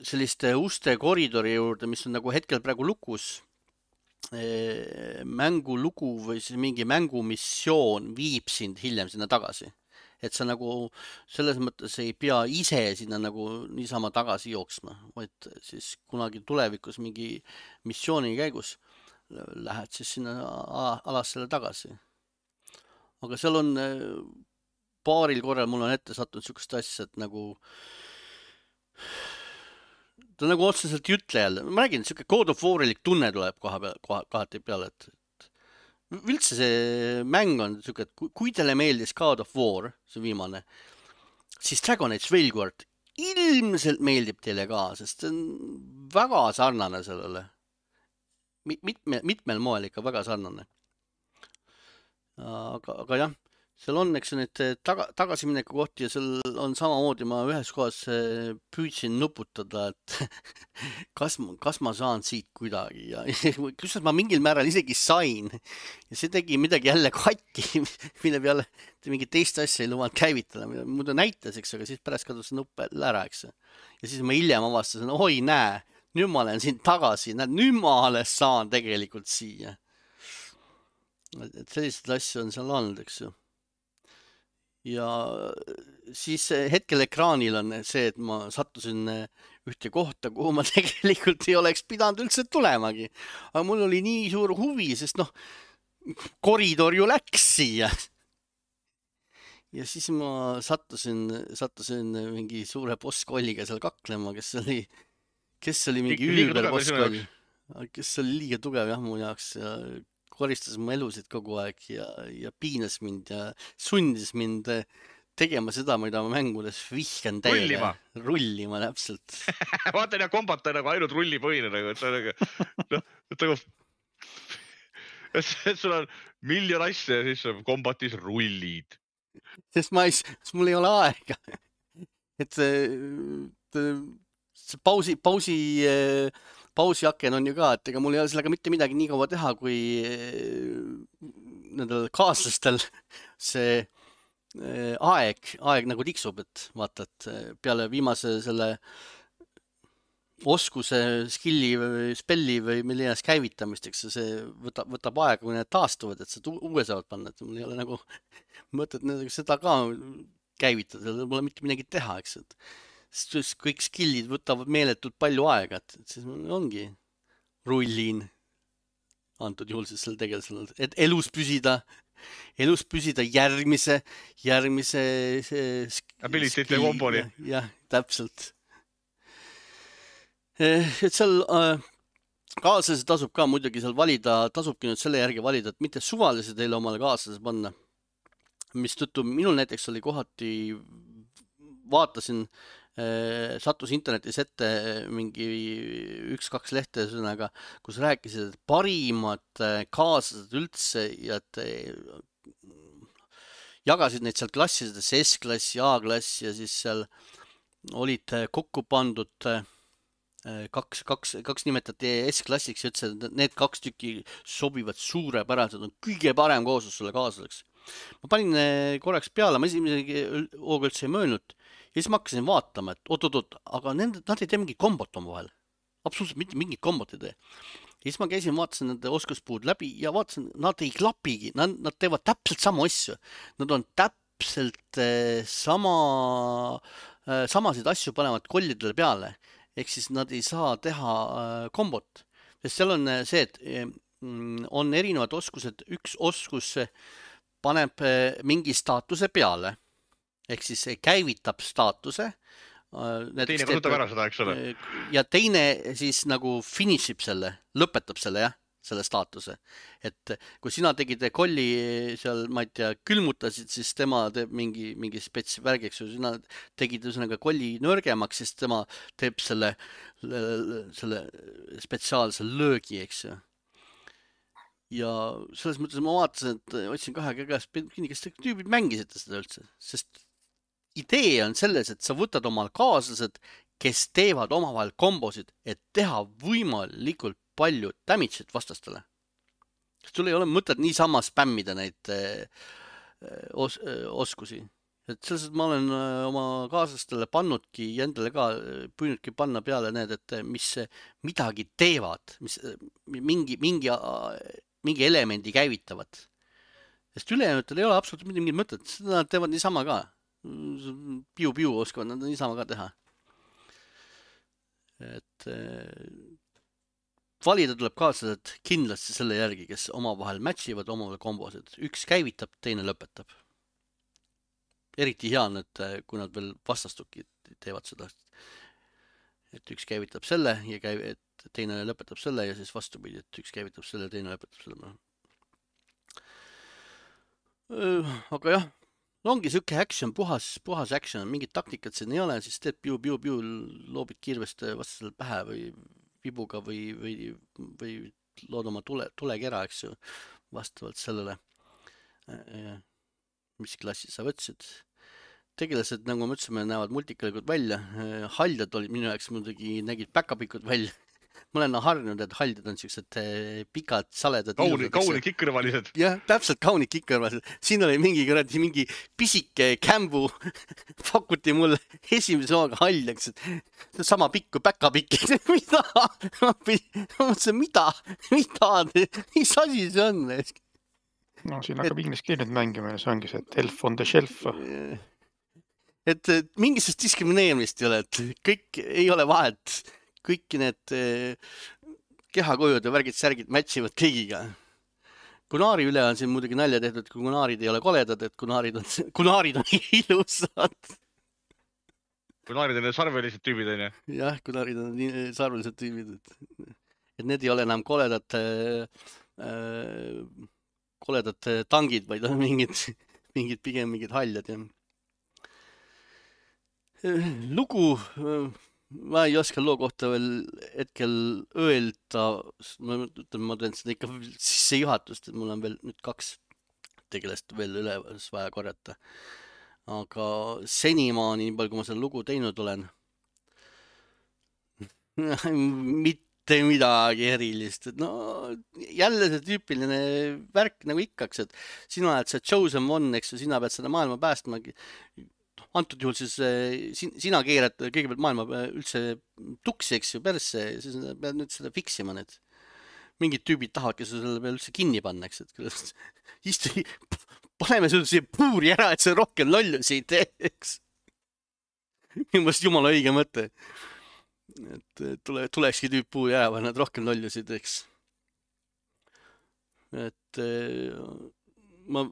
S1: selliste uste koridori juurde, mis on nagu hetkel praegu lukus, mängulugu või siis mingi mängumissioon viib sind hiljem sinna tagasi. Et sa nagu selles mõttes ei pea ise sinna nagu niisama tagasi jooksma, vaid siis kunagi tulevikus mingi missiooni käigus lähed siis sinna alassele tagasi. Aga seal on paaril korral mul on ette sattunud niisugust asja, et nagu ta nagu otseselt ei ütle jälle. Ma räägin, niisugune God of War'ilik tunne tuleb koha peal, koha, kohati peale, et, et üldse see mäng on niisugune, et kui, kui teile meeldis God of War, see viimane, siis Dragon Age Veilguard ilmselt meeldib teile ka, sest see on väga sarnane sellele. Mitme, mitmel moel ikka väga sarnane. Aga, aga jah, seal on, eks need taga, tagasimineku kohti ja seal on samamoodi, ma ühes kohas püüdsin nuputada, et kas, kas ma saan siit kuidagi ja kusjuures ma mingil määral isegi sain ja see tegi midagi jälle katki, mille peale mingi teist asja ei lubanud käivitada, muidu näitas, eks, aga siis pärast kadus see nupp ära, eks. Ja siis ma hiljem avastasin, oi näe, nüüd ma olen siin tagasi, näed, nüüd ma alles saan tegelikult siia. Et sellised asju on seal olnud, eks ju. Ja siis hetkel ekraanil on see, et ma sattusin ühte kohta, kuhu ma tegelikult ei oleks pidanud üldse tulemagi. Aga mul oli nii suur huvi, sest noh, koridor ju läks siia. Ja siis ma sattusin, sattusin mingi suure bosskolliga seal kaklema, kes oli, kes oli mingi üüber bosskoll. Kes oli liiga tugev jah mu jaoks ja koristas mu elusid kogu aeg ja, ja piinas mind ja sundis mind tegema seda, mida ma mängudes vihkan täiega.
S2: Rullima.
S1: Rullima, täpselt.
S2: Vaata ja kombata nagu ainult rullipõhine. Nagu, et nagu, no, et nagu, et sul on miljon asja ja siis kombatis rullid.
S1: Sest ma ei, sest mul ei ole aega. Et see pausi, pausi, pausiaken on ju ka, et ega mul ei ole sellega mitte midagi nii kaua teha, kui nendel kaaslastel see aeg, aeg nagu tiksub, et vaata, et peale viimase selle oskuse, skilli või spelli või milline käivitamisteks see võtab, võtab aega, kui need taastuvad, et seda uue saavad panna, et mul ei ole nagu mõtet seda ka käivitada, seal pole mitte midagi teha, eks, et sest kõik skillid võtavad meeletult palju aega, et siis ongi rullin antud juhul siis seal tegelasel, et elus püsida, elus püsida järgmise, järgmise
S2: abilitite komboni.
S1: Jah, täpselt. Et seal kaaslase tasub ka muidugi seal valida, tasubki nüüd selle järgi valida, et mitte suvalise teile omale kaaslase panna, mis tõttu minul näiteks oli kohati, vaatasin, sattus internetis ette mingi üks-kaks lehte sõnaga, kus rääkisid, et parimad kaaslased üldse ja et jagasid neid seal klassidesse, S-klass ja A-klass ja siis seal olid kokku pandud kaks, kaks, kaks nimetati S-klassiks ja ütlesid, et need kaks tükki sobivad suurepäraselt, on kõige parem kooslus sulle kaaslaseks. Ma panin korraks peale, ma esimesegi hooga üldse ei möönud ja siis ma hakkasin vaatama, et oot-oot-oot, aga nende, nad ei tee mingit kombot oma vahel. Absoluutselt mitte mingit kombot ei tee. Ja siis ma käisin, vaatasin nende oskuspuud läbi ja vaatasin, nad ei klapigi, nad, nad teevad täpselt samu asju. Nad on täpselt sama, samasid asju panevad kollidele peale. Ehk siis nad ei saa teha kombot. Sest seal on see, et on erinevad oskused, üks oskus paneb mingi staatuse peale, ehk siis käivitab staatuse.
S2: Teine kasutab ära seda, eks ole.
S1: Ja teine siis nagu finishib selle, lõpetab selle, jah, selle staatuse. Et kui sina tegid kolli seal, ma ei tea, külmutasid, siis tema teeb mingi, mingi spets värgiks, kui sina tegid üsnaga kolli nõrgemaks, siis tema teeb selle, selle spetsiaalse löögi, eks ju. Ja selles mõttes ma vaatasin, et otsin kahe käest, kas te tüübid mängisite seda üldse, sest idee on selles, et sa võtad omal kaaslased, kes teevad omavahel kombosid, et teha võimalikult palju damage'it vastastele. Sul ei ole mõtet niisama spämmida neid os oskusi. et selles mõttes ma olen äh, oma kaaslastele pannudki ja endale ka äh, püüdnudki panna peale need, et äh, mis äh, midagi teevad, mis äh, mingi, mingi, äh, mingi elemendi käivitavad. Sest ülejäänutel ei ole absoluutselt mitte mingit mõtet, seda nad teevad niisama ka. Piu-piu oskavad nad niisama ka teha. Et äh, valida tuleb kaaslased kindlasti selle järgi, kes omavahel matchivad, omavahel kombosed. Üks käivitab, teine lõpetab. Eriti hea on, et kui nad veel vastastuki teevad seda. Et üks käivitab selle ja käiv, et teine lõpetab selle ja siis vastupidi, et üks käivitab selle ja teine lõpetab selle. Aga jah, ongi siuke action, puhas, puhas action, mingit taktikat siin ei ole, siis teed piu-piu-piu, loobid kiirvest vastasel pähe või vibuga või, või, või lood oma tule, tulekera, eks ju, vastavalt sellele, mis klassi sa võtsid. Tegelased, nagu me ütlesime, näevad multikalikud välja. Haljad olid minu jaoks muidugi, nägid päkapikud välja. Ma olen harjunud, et haljad on siuksed pikad, saledad.
S2: Kauni, kauni kikkõrvalised.
S1: Jah, täpselt kauni kikkõrvalised. Siin oli mingi, mingi pisike kämbu. Pakuti mulle esimese hooga haljaks. Sama pikk kui päkapikk. Mida? Ma mõtlesin, mida? Mida? Mis asi see on?
S3: No siin hakkab et... inglise keeled mängima ja see ongi see, et elf on the shelf.
S1: Et mingisugust diskrimineerimist ei ole, et kõik ei ole vahet. Kõik need kehakujud ja värgid, särgid matchivad kõigiga. Kunaari üle on siin muidugi nalja tehtud, kui kunaarid ei ole koledad, et kunaarid on, kunaarid on ilusad.
S2: Kunaarid on need sarvelised tüübid, on ju?
S1: Jah, kunaarid on sarvelised tüübid. Et need ei ole enam koledad, äh, koledad tangid, vaid on mingid, mingid pigem mingid haljad. Ja. Lugu... Ma ei oska loo kohta veel hetkel öelda, ma ütlen, ma teen seda ikka sisse juhatust, et mul on veel nüüd kaks tegelast veel üles vaja korjata. Aga senimaani, nii palju kui ma selle lugu teinud olen, mitte midagi erilist. Et no jälle see tüüpiline värk nagu ikkaks, et sina oled see chosen one, eks ju, sina pead seda maailma päästmagi. Antud juhul siis sina keerad kõigepealt maailma üldse tuksi, eks ju, persse, siis pead nüüd seda fiksima need. Mingid tüübid tahavad, kes selle peal üldse kinni panna, eks, et istu, paneme seda siia puuri ära, et see rohkem lollusi ei teeks. Minu mõelest jumala õige mõte. Et tule, tulekski tüüp puuri ära panna, et rohkem lollusi ei teeks. Et... ma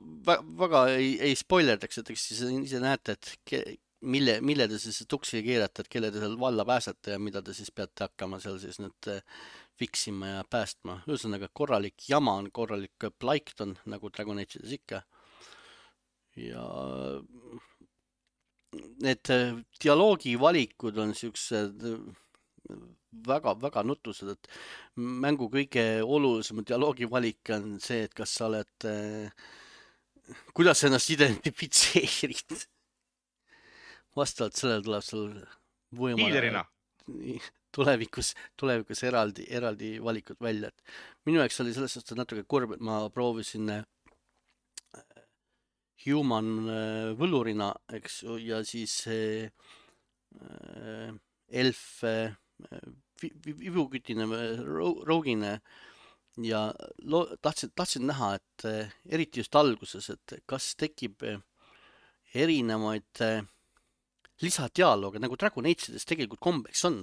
S1: väga ei, ei spoilerdaks, et eks siis ise näete, et ke, mille, mille te siis tuksi keerate, et kelle te seal valla pääsete ja mida te siis peate hakkama seal siis nüüd fiksima ja päästma. Ühesõnaga korralik jama on, korralik plaikton, nagu Dragon Age'ides ikka. Ja need dialoogi valikud on siuksed väga, väga nutused, et mängu kõige olulisem dialoogi valik on see, et kas sa oled kuidas sa ennast identifitseerid. Vastavalt sellele tuleb sul
S2: võimalik
S1: tulevikus, tulevikus eraldi, eraldi valikud välja. Et minu jaoks oli selles suhtes natuke kurb, et ma proovisin human võlurina, eks, ja siis elf vibukütine, rougine ja lo, tahtsin, tahtsin näha, et eriti just alguses, et kas tekib erinevaid lisadialooge, nagu Dragon Age'ides tegelikult kombeks on.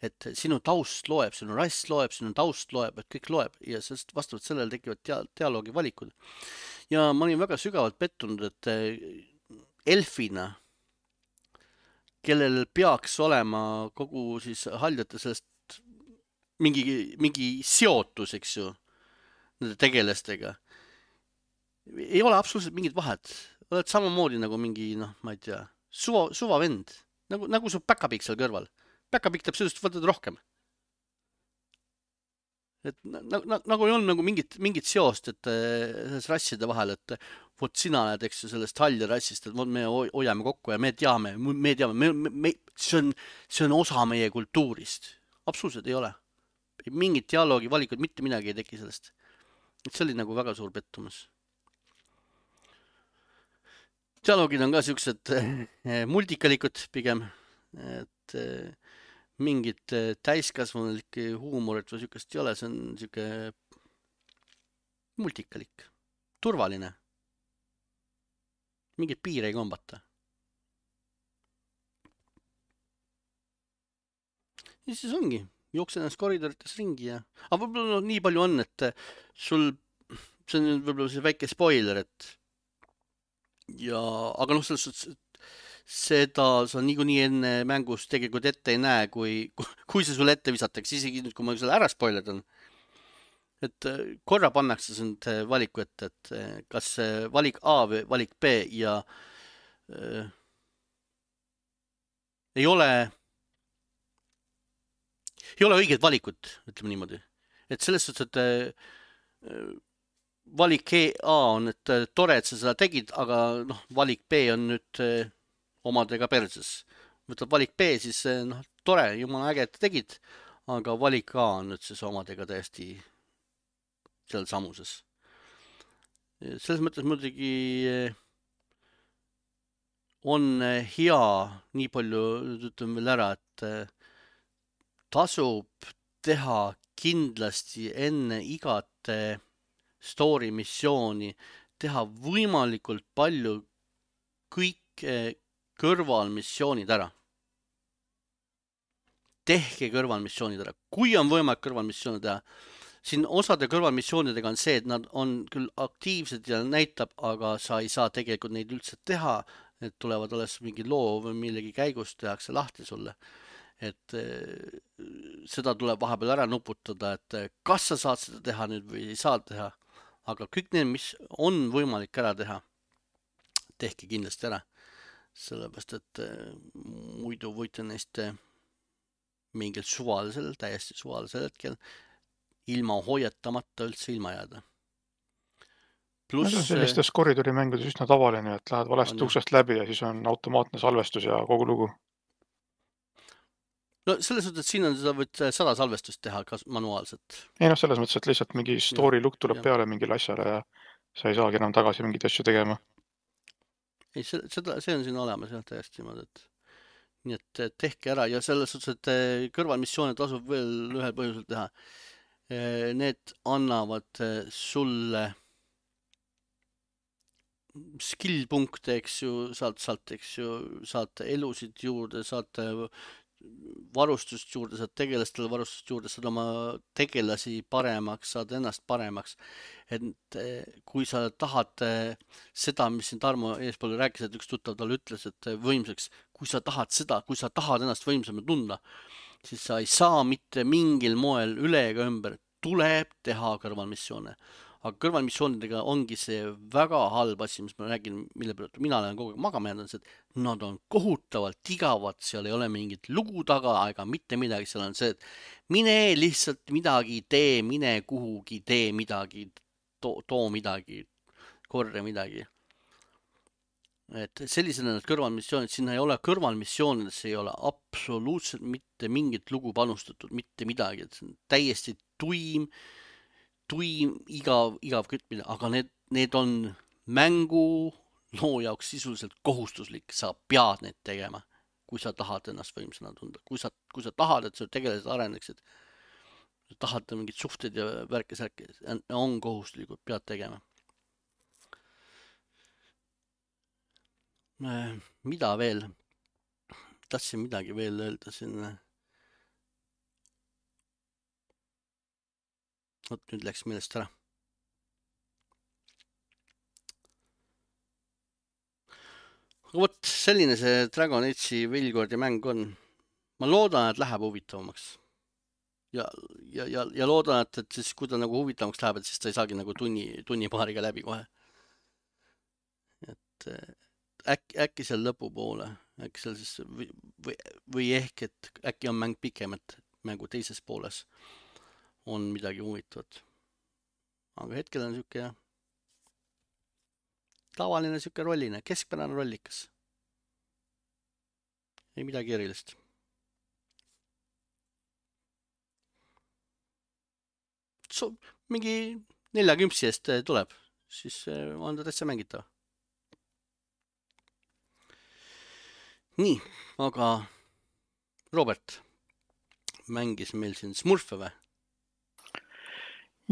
S1: Et sinu taust loeb, sinu rass loeb, sinu taust loeb, et kõik loeb ja sest vastavalt sellele tekivad dia, dialoogi valikud. Ja ma olin väga sügavalt pettunud, et elfina, kellel peaks olema kogu siis haljate sellest mingi, mingi seotus, eks ju, nende tegelastega. Ei ole absoluutselt mingit vahet. Oled samamoodi nagu mingi, noh, ma ei tea, suva, suva vend. Nagu, nagu su päkapik seal kõrval. Päkapik teeb sellest võtad rohkem. Et nagu, nagu ei olnud nagu mingit, mingit seost, et selles rasside vahel, et vot sina oled, eks ju, sellest halja rassist, et me hoiame kokku ja me teame, me teame, me, me, me, see, on, see on osa meie kultuurist. Absoluutselt ei ole. Mingit dialoogi valikud, mitte midagi ei teki sellest. Et see oli nagu väga suur pettumus. dialoogid on ka siuksed eh, multikalikud pigem, et eh, mingit eh, täiskasvanulikke huumorit või siukest ei ole, see on siuke multikalik, turvaline, mingeid piire ei kombata. ja siis ongi, jooksen ennast koridorites ringi ja, aga võib-olla no, nii palju on, et sul, see on võib-olla see väike spoiler, et ja, aga noh, selles suhtes, seda sa niikuinii enne mängus tegelikult ette ei näe, kui, kui see sulle ette visatakse, isegi nüüd, kui ma selle ära spoilerdan, et korra pannakse sind valiku ette, et kas valik A või valik B ja äh, ei ole ei ole õiget valikut, ütleme niimoodi. Et selles suhtes, et äh, valik A on, et äh, tore, et sa seda tegid, aga noh, valik B on nüüd äh, omadega perses. Võtad valik B, siis noh, tore, jumala äge, et tegid, aga valik A on nüüd siis omadega täiesti seal samuses. Selles mõttes muidugi on hea, nii palju ütleme veel ära, et tasub teha kindlasti enne igat story missiooni, teha võimalikult palju kõik kõrvalmissioonid ära. Tehke kõrvalmissioonid ära. Kui on võimalik kõrvalmissioonid teha, siin osade kõrvalmissioonidega on see, et nad on küll aktiivsed ja näitab, aga sa ei saa tegelikult neid üldse teha. Need tulevad alles mingi loo või millegi käigus tehakse lahti sulle. Et seda tuleb vahepeal ära nuputada, et kas sa saad seda teha nüüd või ei saa teha. Aga kõik need, mis on võimalik ära teha, tehke kindlasti ära. Sellepärast, et muidu võite neist mingil suvalisel, täiesti suvalisel hetkel ilma hoiatamata üldse ilma jääda.
S3: Plus, see on sellistes koridorimängudes üsna tavaline, et lähed valesti on, uksest läbi ja siis on automaatne salvestus ja kogu lugu.
S1: No selles mõttes, et siin on seda võid sada salvestust teha manuaalselt.
S3: Ei noh, selles mõttes, et lihtsalt mingi story look tuleb ja. peale mingile asjale ja sa ei saagi enam tagasi mingit asju tegema.
S1: Ei, seda, see on siin olemas jah, täiesti niimoodi, et nii et tehke ära ja selles suhtes, et kõrvalmissioone tasub veel ühel põhjusel teha. Need annavad sulle skill-punkte, eks ju, saad sealt, eks ju, saad elusid juurde, saad varustust juurde, saad tegelastele varustust juurde, saad oma tegelasi paremaks, saad ennast paremaks. Et kui sa tahad seda, mis siin Tarmo eespool rääkis, et üks tuttav talle ütles, et võimsaks, kui sa tahad seda, kui sa tahad ennast võimsama tunda, siis sa ei saa mitte mingil moel üle ega ümber, tuleb teha kõrvalmissioone. Aga kõrvalmissioonidega ongi see väga halb asi, mis ma räägin, mille pealt mina olen kogu aeg magama jäänud, et nad on kohutavalt igavad, seal ei ole mingit lugu taga ega mitte midagi, seal on see, et mine lihtsalt midagi tee, mine kuhugi, tee midagi, too, too midagi, korja midagi. Et sellisena need kõrvalmissioonid, sinna ei ole kõrvalmissioonidesse ei ole absoluutselt mitte mingit lugu panustatud, mitte midagi, et see on täiesti tuim, tuim, igav, igav kütmine, aga need, need on mängu loo jaoks sisuliselt kohustuslik, sa pead need tegema, kui sa tahad ennast võimsana tunda, kui sa, kui sa tahad, et sa tegelased areneksid, tahad mingid suhted ja värke-särke, on kohustuslikud, pead tegema. Mida veel? Tahtsin midagi veel öelda siin. Oot, nüüd läks meelest ära. Vot selline see Dragon Age'i Veilkordi mäng on. Ma loodan, et läheb huvitavamaks. Ja, ja, ja, ja loodan, et, et siis, kui ta nagu huvitavamaks läheb, et siis ta ei saagi nagu tunni, tunni paariga läbi kohe. Et äkki, äkki seal lõpu poole, äkki seal siis, või, või, või ehk, et äkki on mäng pikem, et mängu teises pooles on midagi huvitavat. Aga hetkel on siuke jah, tavaline siuke rolline, keskpärane rollikas. Ei midagi erilist. So, mingi nelja kümpsi eest tuleb, siis on ta täitsa mängitav. nii, aga Robert mängis meil siin Smurfe või?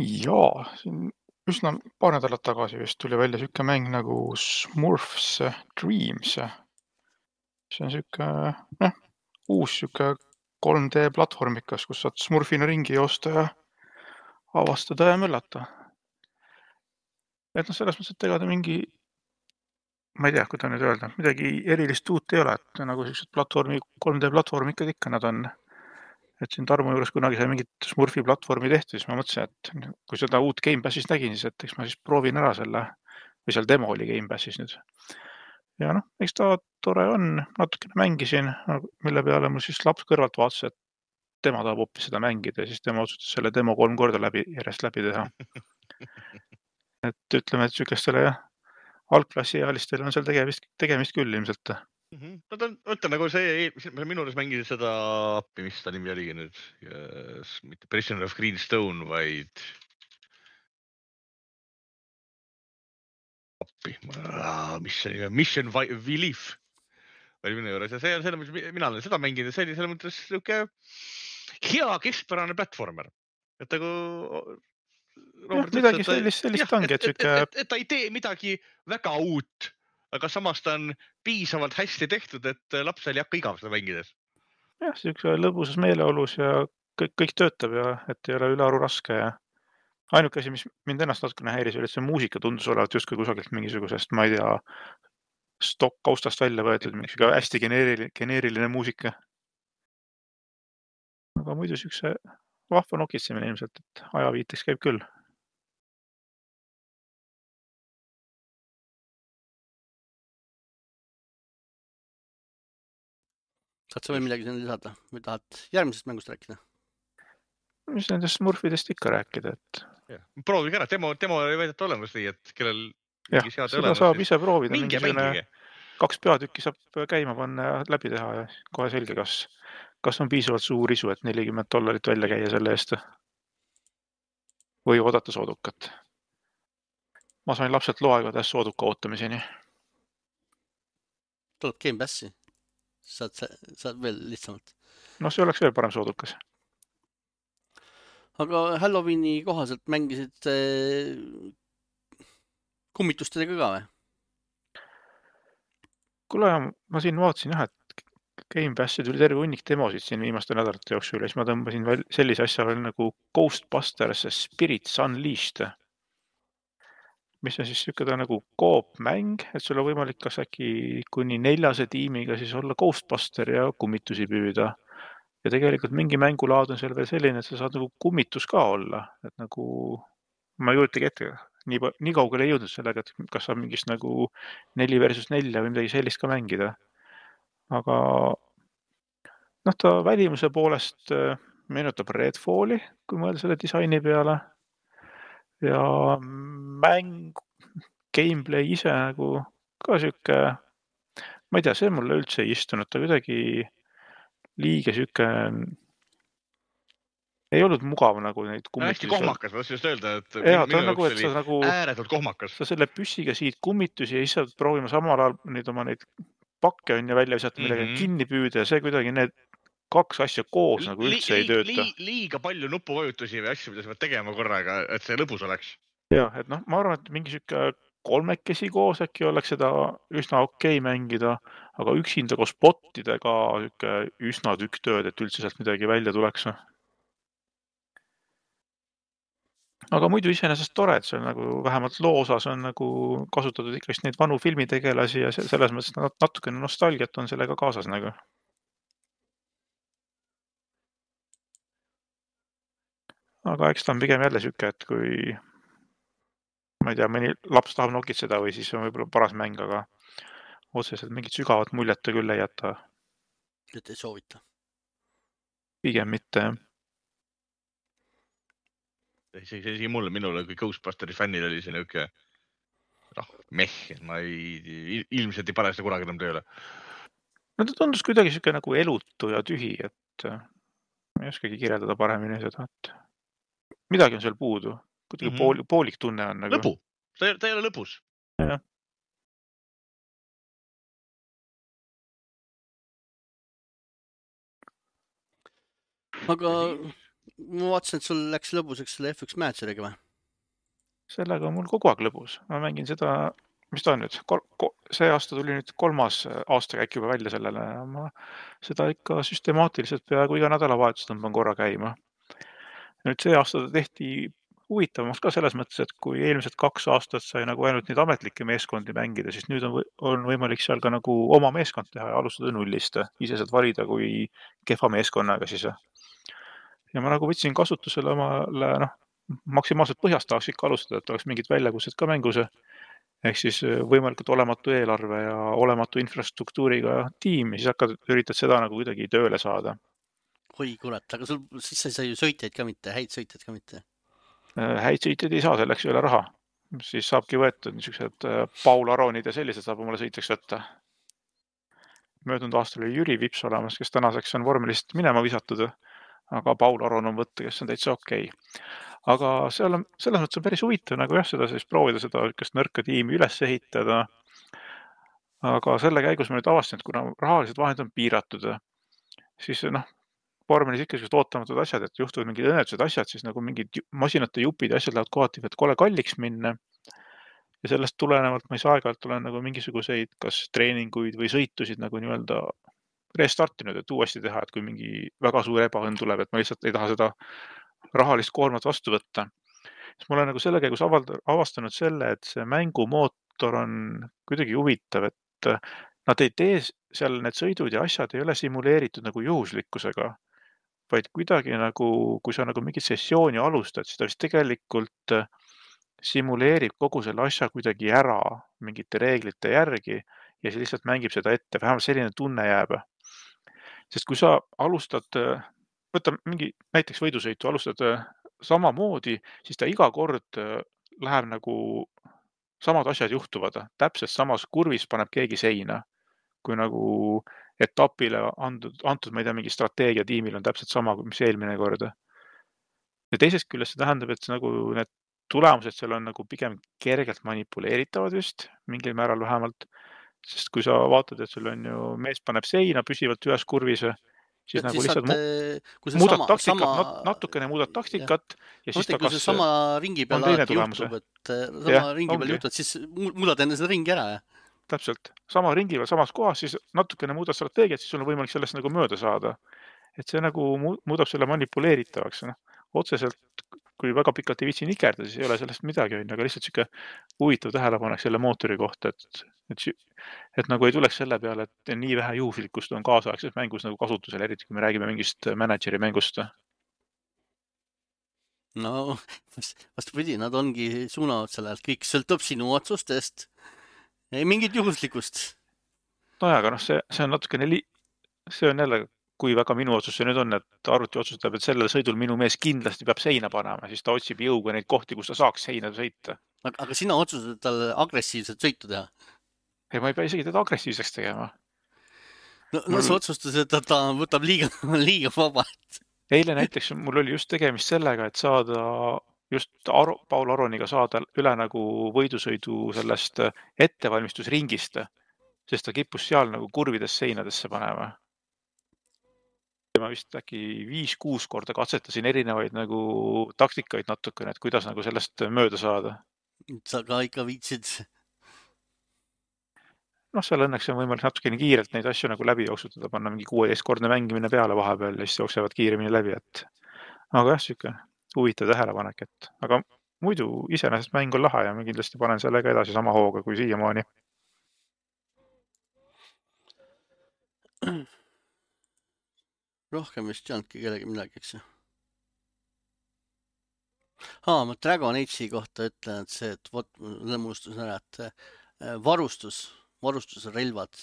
S3: Jaa, siin üsna paar nädalat tagasi vist tuli välja siuke mäng nagu Smurfs Dreams. See on siuke, noh, uus siuke kolm D platvormikas, kus saad Smurfina ringi joosta ja avastada ja möllata. Et noh, selles mõttes, et ega ta mingi, ma ei tea, kuidas nüüd öelda, midagi erilist uut ei ole, et nagu sellised platvormi, kolm D platvormikad ikka nad on. Et siin Tarmo juures kunagi sai mingit Smurfi platvormi tehtud, siis ma mõtlesin, et kui seda uut Gamepassis nägin, siis et eks ma siis proovin ära selle, või seal demo oli Gamepassis nüüd. Ja noh, eks ta tore on, natukene mängisin, mille peale mul siis laps kõrvalt vaatas, et tema tahab hoopis seda mängida ja siis tema otsustas selle demo kolm korda läbi, järjest läbi teha. Et ütleme, et sükestele jah, algklassiealistele on seal tegemist, tegemist küll ilmselt.
S2: No ta on, ütleme nagu see, minu juures mängisid seda appi, mis ta nimi oligi nüüd, mitte Prisoner of Greenstone, vaid appi, mis see Mission Belief oli minu juures ja see on selle, mis mina olen seda mänginud ja see oli selles mõttes siuke hea keskpärane platvormer. Et nagu
S3: Robert, midagi sellist, sellist ongi, et siuke...
S2: Et, et ta ei tee midagi väga uut, aga samas ta on piisavalt hästi tehtud, et lapsel ei hakka igav seda mängides.
S3: Jah, siuke lõbusas meeleolus ja kõik, kõik töötab ja et ei ole ülearu raske ja ainuke asi, mis mind ennast natukene häiris, oli, et see muusika tundus olevat justkui kusagilt mingisugusest, ma ei tea, stock kaustast välja võetud, mingisugune hästi geneeriline, geneeriline muusika. Aga muidu siukse vahva nokitsemine ilmselt, et ajaviiteks käib küll.
S1: Saad sa või midagi sinna lisada või tahad järgmisest mängust rääkida?
S3: Mis nendest Smurfidest ikka rääkida, et...
S2: Ja, proovige ära, demo, demo ei väideta olemas nii, et kellel...
S3: Jah, seda olemas, saab ise proovida.
S2: Minge mängige.
S3: Kaks peatükki saab käima panna ja läbi teha ja kohe selge, kas, kas on piisavalt suur isu, et nelikümmend dollarit välja käia selle eest. Või oodata soodukat. Ma sain lapselt loaegades sooduka ootamiseni.
S1: Tuleb Gamepassi. Saad, saad veel lihtsamalt.
S3: No see oleks veel parem soodukas.
S1: Aga Halloweeni kohaselt mängisid kummitustega ka või?
S3: Kuule, ma siin vaatasin jah, et Gamepassi tuli terve hunnik demosid siin viimaste nädalate jooksul ja siis ma tõmbasin veel sellise asja veel nagu Ghostbusters Spirits Unleashed, mis on siis siuke ta nagu koopmäng, et sul on võimalik kas äkki kuni neljase tiimiga siis olla Ghostbuster ja kummitusi püüda. Ja tegelikult mingi mängulaad on seal veel selline, et sa saad nagu kummitus ka olla, et nagu ma ei jõudagi ette, nii, nii kaugele ei jõudnud sellega, et kas saab mingist nagu neli versus nelja või midagi sellist ka mängida. Aga noh, ta välimuse poolest meenutab Redfalli, kui mõelda selle disaini peale. Ja mäng, gameplay ise nagu ka siuke, ma ei tea, see mulle üldse ei istunud, ta kuidagi liiga siuke ei olnud mugav nagu neid kummitusi.
S2: Hästi kohmakas, ma just öelda, et
S3: ja, minu nagu, jaoks oli
S2: nagu, ääretult kohmakas.
S3: Sa selle püssiga siid kummitusi ja siis saad proovima samal ajal neid oma neid pakke on ja välja visata midagi mm -hmm. kinni püüda ja see kuidagi need kaks asja koos nagu üldse li, ei tööta.
S2: Li, liiga palju nupuvajutusi või asju, mida sa pead tegema korraga, et see lõbus oleks.
S3: Jah, et noh, ma arvan, et mingi siuke kolmekesi koos äkki oleks seda üsna okei mängida, aga üksinda koos bottidega siuke üsna tükk tööd, et üldse sealt midagi välja tuleks. Aga muidu iseenesest tore, et see on nagu vähemalt loo osas on nagu kasutatud ikkast neid vanu filmitegelasi ja selles mõttes natukene nostalgiat on sellega kaasas nagu. Aga eks ta on pigem jälle siuke, et kui ma ei tea, mõni laps tahab nokitseda või siis on võib-olla paras mäng, aga otseselt mingit sügavat muljet ta küll ei jäta.
S1: Et ei soovita?
S3: Pigem mitte.
S2: See, see, see mulle, minule kui Ghostbusteri fännil oli see niuke noh, meh, ma ei, ilmselt ei pane seda kunagi enam tööle.
S3: No ta tundus kuidagi siuke nagu elutu ja tühi, et ma ei oskagi kirjeldada paremini seda, et midagi on seal puudu. Kuidagi mm -hmm. pool, poolik tunne on nagu.
S2: Lõbu, ta, ta ei ole lõbus.
S3: Jah.
S1: aga
S2: Ja siis-
S1: ma vaatasin, et sul läks lõbuseks selle F üks Manager'iga või?
S3: Sellega on mul kogu aeg lõbus. Ma mängin seda, mis ta on nüüd, kol- ko- see aasta tuli nüüd kolmas aastakäik juba välja sellele. Ma seda ikka süstemaatiliselt peaaegu iga nädalavahetus tõmban korra käima. Nüüd see aasta ta tehti huvitavamaks ka selles mõttes, et kui eelmised kaks aastat sai nagu ainult neid ametlikke meeskondi mängida, siis nüüd on, või, on võimalik seal ka nagu oma meeskond teha ja alustada nullist. Ise saad valida kui kehva meeskonnaga siis. Ja ma nagu võtsin kasutusele omale, noh, maksimaalselt põhjast tahaks ikka alustada, et oleks mingid väljakutsed ka mängus. Ehk siis võimalikult olematu eelarve ja olematu infrastruktuuriga tiim ja siis hakkad, üritad seda nagu kuidagi tööle saada.
S1: Oi kurat, aga sul, siis sa ei saa ju sõitjaid ka mitte, häid sõitjaid ka mitte.
S3: Häid sõitjaid ei saa, selleks ei ole raha. Siis saabki võetud niisugused Paul Aronid ja sellised saab omale sõitjaks võtta. Möödunud aastal oli Jüri Vips olemas, kes tänaseks on vormelist minema visatud, aga Paul Aron on võtta, kes on täitsa okei. Aga seal on, selles mõttes on päris huvitav nagu jah, seda siis proovida seda kas nõrka tiimi üles ehitada. Aga selle käigus ma nüüd avastasin, et kuna rahalised vahendid on piiratud, siis noh, vormelis ikka sellised ootamatud asjad, et juhtuvad mingid õnnetused asjad, siis nagu mingid masinate jupid ja asjad lähevad kohati, et kole kalliks minna. Ja sellest tulenevalt ma ei saa aeg-ajalt olen nagu mingisuguseid kas treeninguid või sõitusid nagu nii-öelda restartinud, et uuesti teha, et kui mingi väga suur ebaõnn tuleb, et ma lihtsalt ei taha seda rahalist koormat vastu võtta. Siis ma olen nagu selle käigus avastanud selle, et see mängumootor on kuidagi huvitav, et nad ei tee seal need sõidud ja asjad ei ole simuleeritud nagu juhuslikkusega, vaid kuidagi nagu, kui sa nagu mingit sessiooni alustad, siis ta vist tegelikult simuleerib kogu selle asja kuidagi ära mingite reeglite järgi ja siis lihtsalt mängib seda ette, vähemalt selline tunne jääb. Sest kui sa alustad, võta mingi näiteks võidusõitu, alustad samamoodi, siis ta iga kord läheb nagu samad asjad juhtuvad. Täpselt samas kurvis paneb keegi seina, kui nagu etapile antud, antud ma ei tea, mingi strateegia tiimil on täpselt sama, mis eelmine kord. Ja teisest küljest see tähendab, et nagu need tulemused seal on nagu pigem kergelt manipuleeritavad vist, mingil määral vähemalt. Sest kui sa vaatad, et sul on ju mees paneb seina püsivalt ühes kurvis, siis ja, nagu siis lihtsalt mu muudad sama, taktikat, sama... natukene muudad taktikat ja, ja siis
S1: mõtlen,
S3: ta kas
S1: sama ringi peal alati juhtub, et sama ja, ringi peal juhtub, siis muudad enne seda ringi ära. Ja?
S3: Täpselt. Sama ringi peal samas kohas, siis natukene muudad strateegiat, siis sul on võimalik sellest nagu mööda saada. Et see nagu muudab selle manipuleeritavaks. No, otseselt, kui väga pikalt ei viitsi nikerda, siis ei ole sellest midagi, aga lihtsalt siuke huvitav tähelepanek selle mootori kohta, et, et, et nagu ei tuleks selle peale, et nii vähe juhuslikkust on kaasaegses mängus nagu kasutusel, eriti kui me räägime mingist manageri mängust.
S1: No, vastupidi, nad ongi suunavad sellelt, kõik sõltub sinu otsustest. Ei mingit juhuslikkust.
S3: No ja, aga noh, see, see on natukene li... see on jälle kui väga minu otsus see nüüd on, et arvuti otsustab, et sellel sõidul minu mees kindlasti peab seina panema, siis ta otsib jõuga neid kohti, kus ta saaks seina sõita.
S1: Aga, aga sina otsused talle agressiivset sõitu teha?
S3: Ei, ma ei pea isegi teda agressiivseks tegema.
S1: No, no mul... sa otsustasid, et ta võtab liiga, liiga vabalt.
S3: Eile näiteks mul oli just tegemist sellega, et saada just Aro, Paul Aroniga saada üle nagu võidusõidu sellest ettevalmistusringist, sest ta kippus seal nagu kurvides seinadesse panema. Ma vist äkki viis-kuus korda katsetasin erinevaid nagu taktikaid natukene, et kuidas nagu sellest mööda saada.
S1: Sa ka ikka viitsid?
S3: Noh, seal õnneks on võimalik natukene kiirelt neid asju nagu läbi jooksutada, panna mingi kuueteistkordne mängimine peale vahepeal ja siis jooksevad kiiremini läbi, et aga jah, siuke huvitav tähelepanek, et aga muidu iseenesest mäng on lahe ja ma kindlasti panen sellega edasi sama hooga kui siiamaani.
S1: Rohkem vist ei olnudki kellegi midagi, eks ju. Haa, ma Dragon Age'i kohta ütlen, et see, et vot, lõmustusin ära, et varustus, varustuse relvad,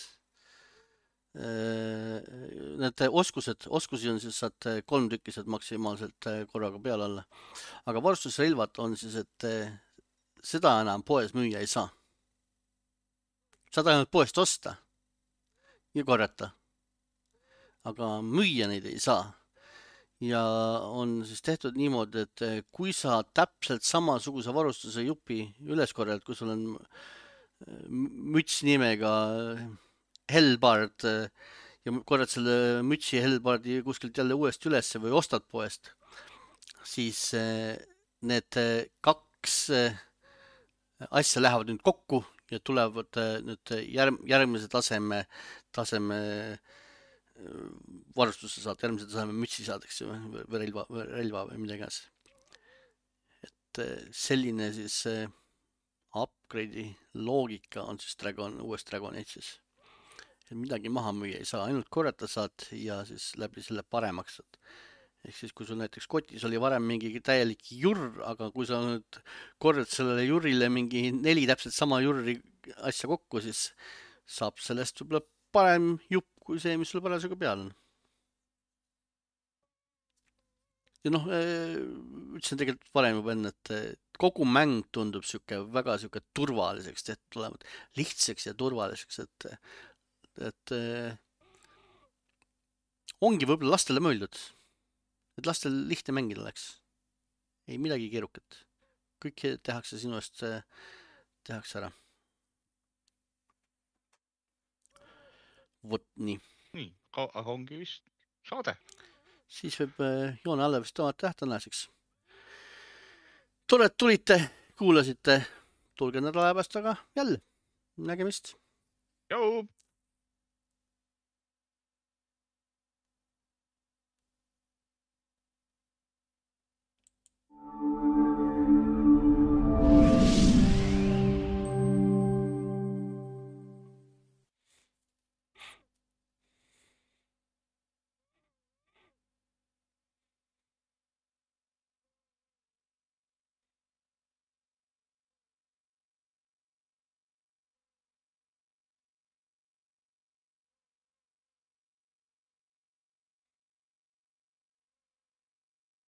S1: need oskused, oskusi on siis saad kolm tükised maksimaalselt korraga peale alla. Aga varustusrelvad on siis, et seda enam poes müüa ei saa. Saad ainult poest osta ja korjata. Aga müüa neid ei saa. Ja on siis tehtud niimoodi, et kui sa täpselt samasuguse varustuse jupi üles korjad, kui sul on müts nimega Hellbard ja korrad selle mütsi Hellbardi kuskilt jälle uuesti üles või ostad poest, siis need kaks asja lähevad nüüd kokku ja tulevad nüüd järg, järgmise taseme, taseme varustuse saad, järgmise taseme mütsi saadakse või, või relva, või relva või midagi iganes. et selline siis upgrade'i loogika on siis Dragon, uues Dragon Age'is. midagi maha müüa ei saa, ainult korjata saad ja siis läbi selle paremaks saad. ehk siis, kui sul näiteks kotis oli varem mingi täielik jurr, aga kui sa nüüd korjad sellele jurrile mingi neli täpselt sama jurri asja kokku, siis saab sellest võib-olla parem jupp kui see, mis sul parasjagu peal on. ja noh, ütlesin tegelikult varem juba enne, et kogu mäng tundub sihuke väga sihuke turvaliseks tehtud olevat, lihtsaks ja turvaliseks, et, et ongi võib-olla lastele mõeldud, et lastel lihtne mängida oleks. ei midagi keerukat. kõik tehakse sinu eest, tehakse ära. vot nii.
S2: nii, aga ongi vist saade.
S1: siis võib joone alla vist tõmmata tänaseks. tore, et tulite, kuulasite. tulge nädala pärast aga jälle. nägemist.
S2: Tšau!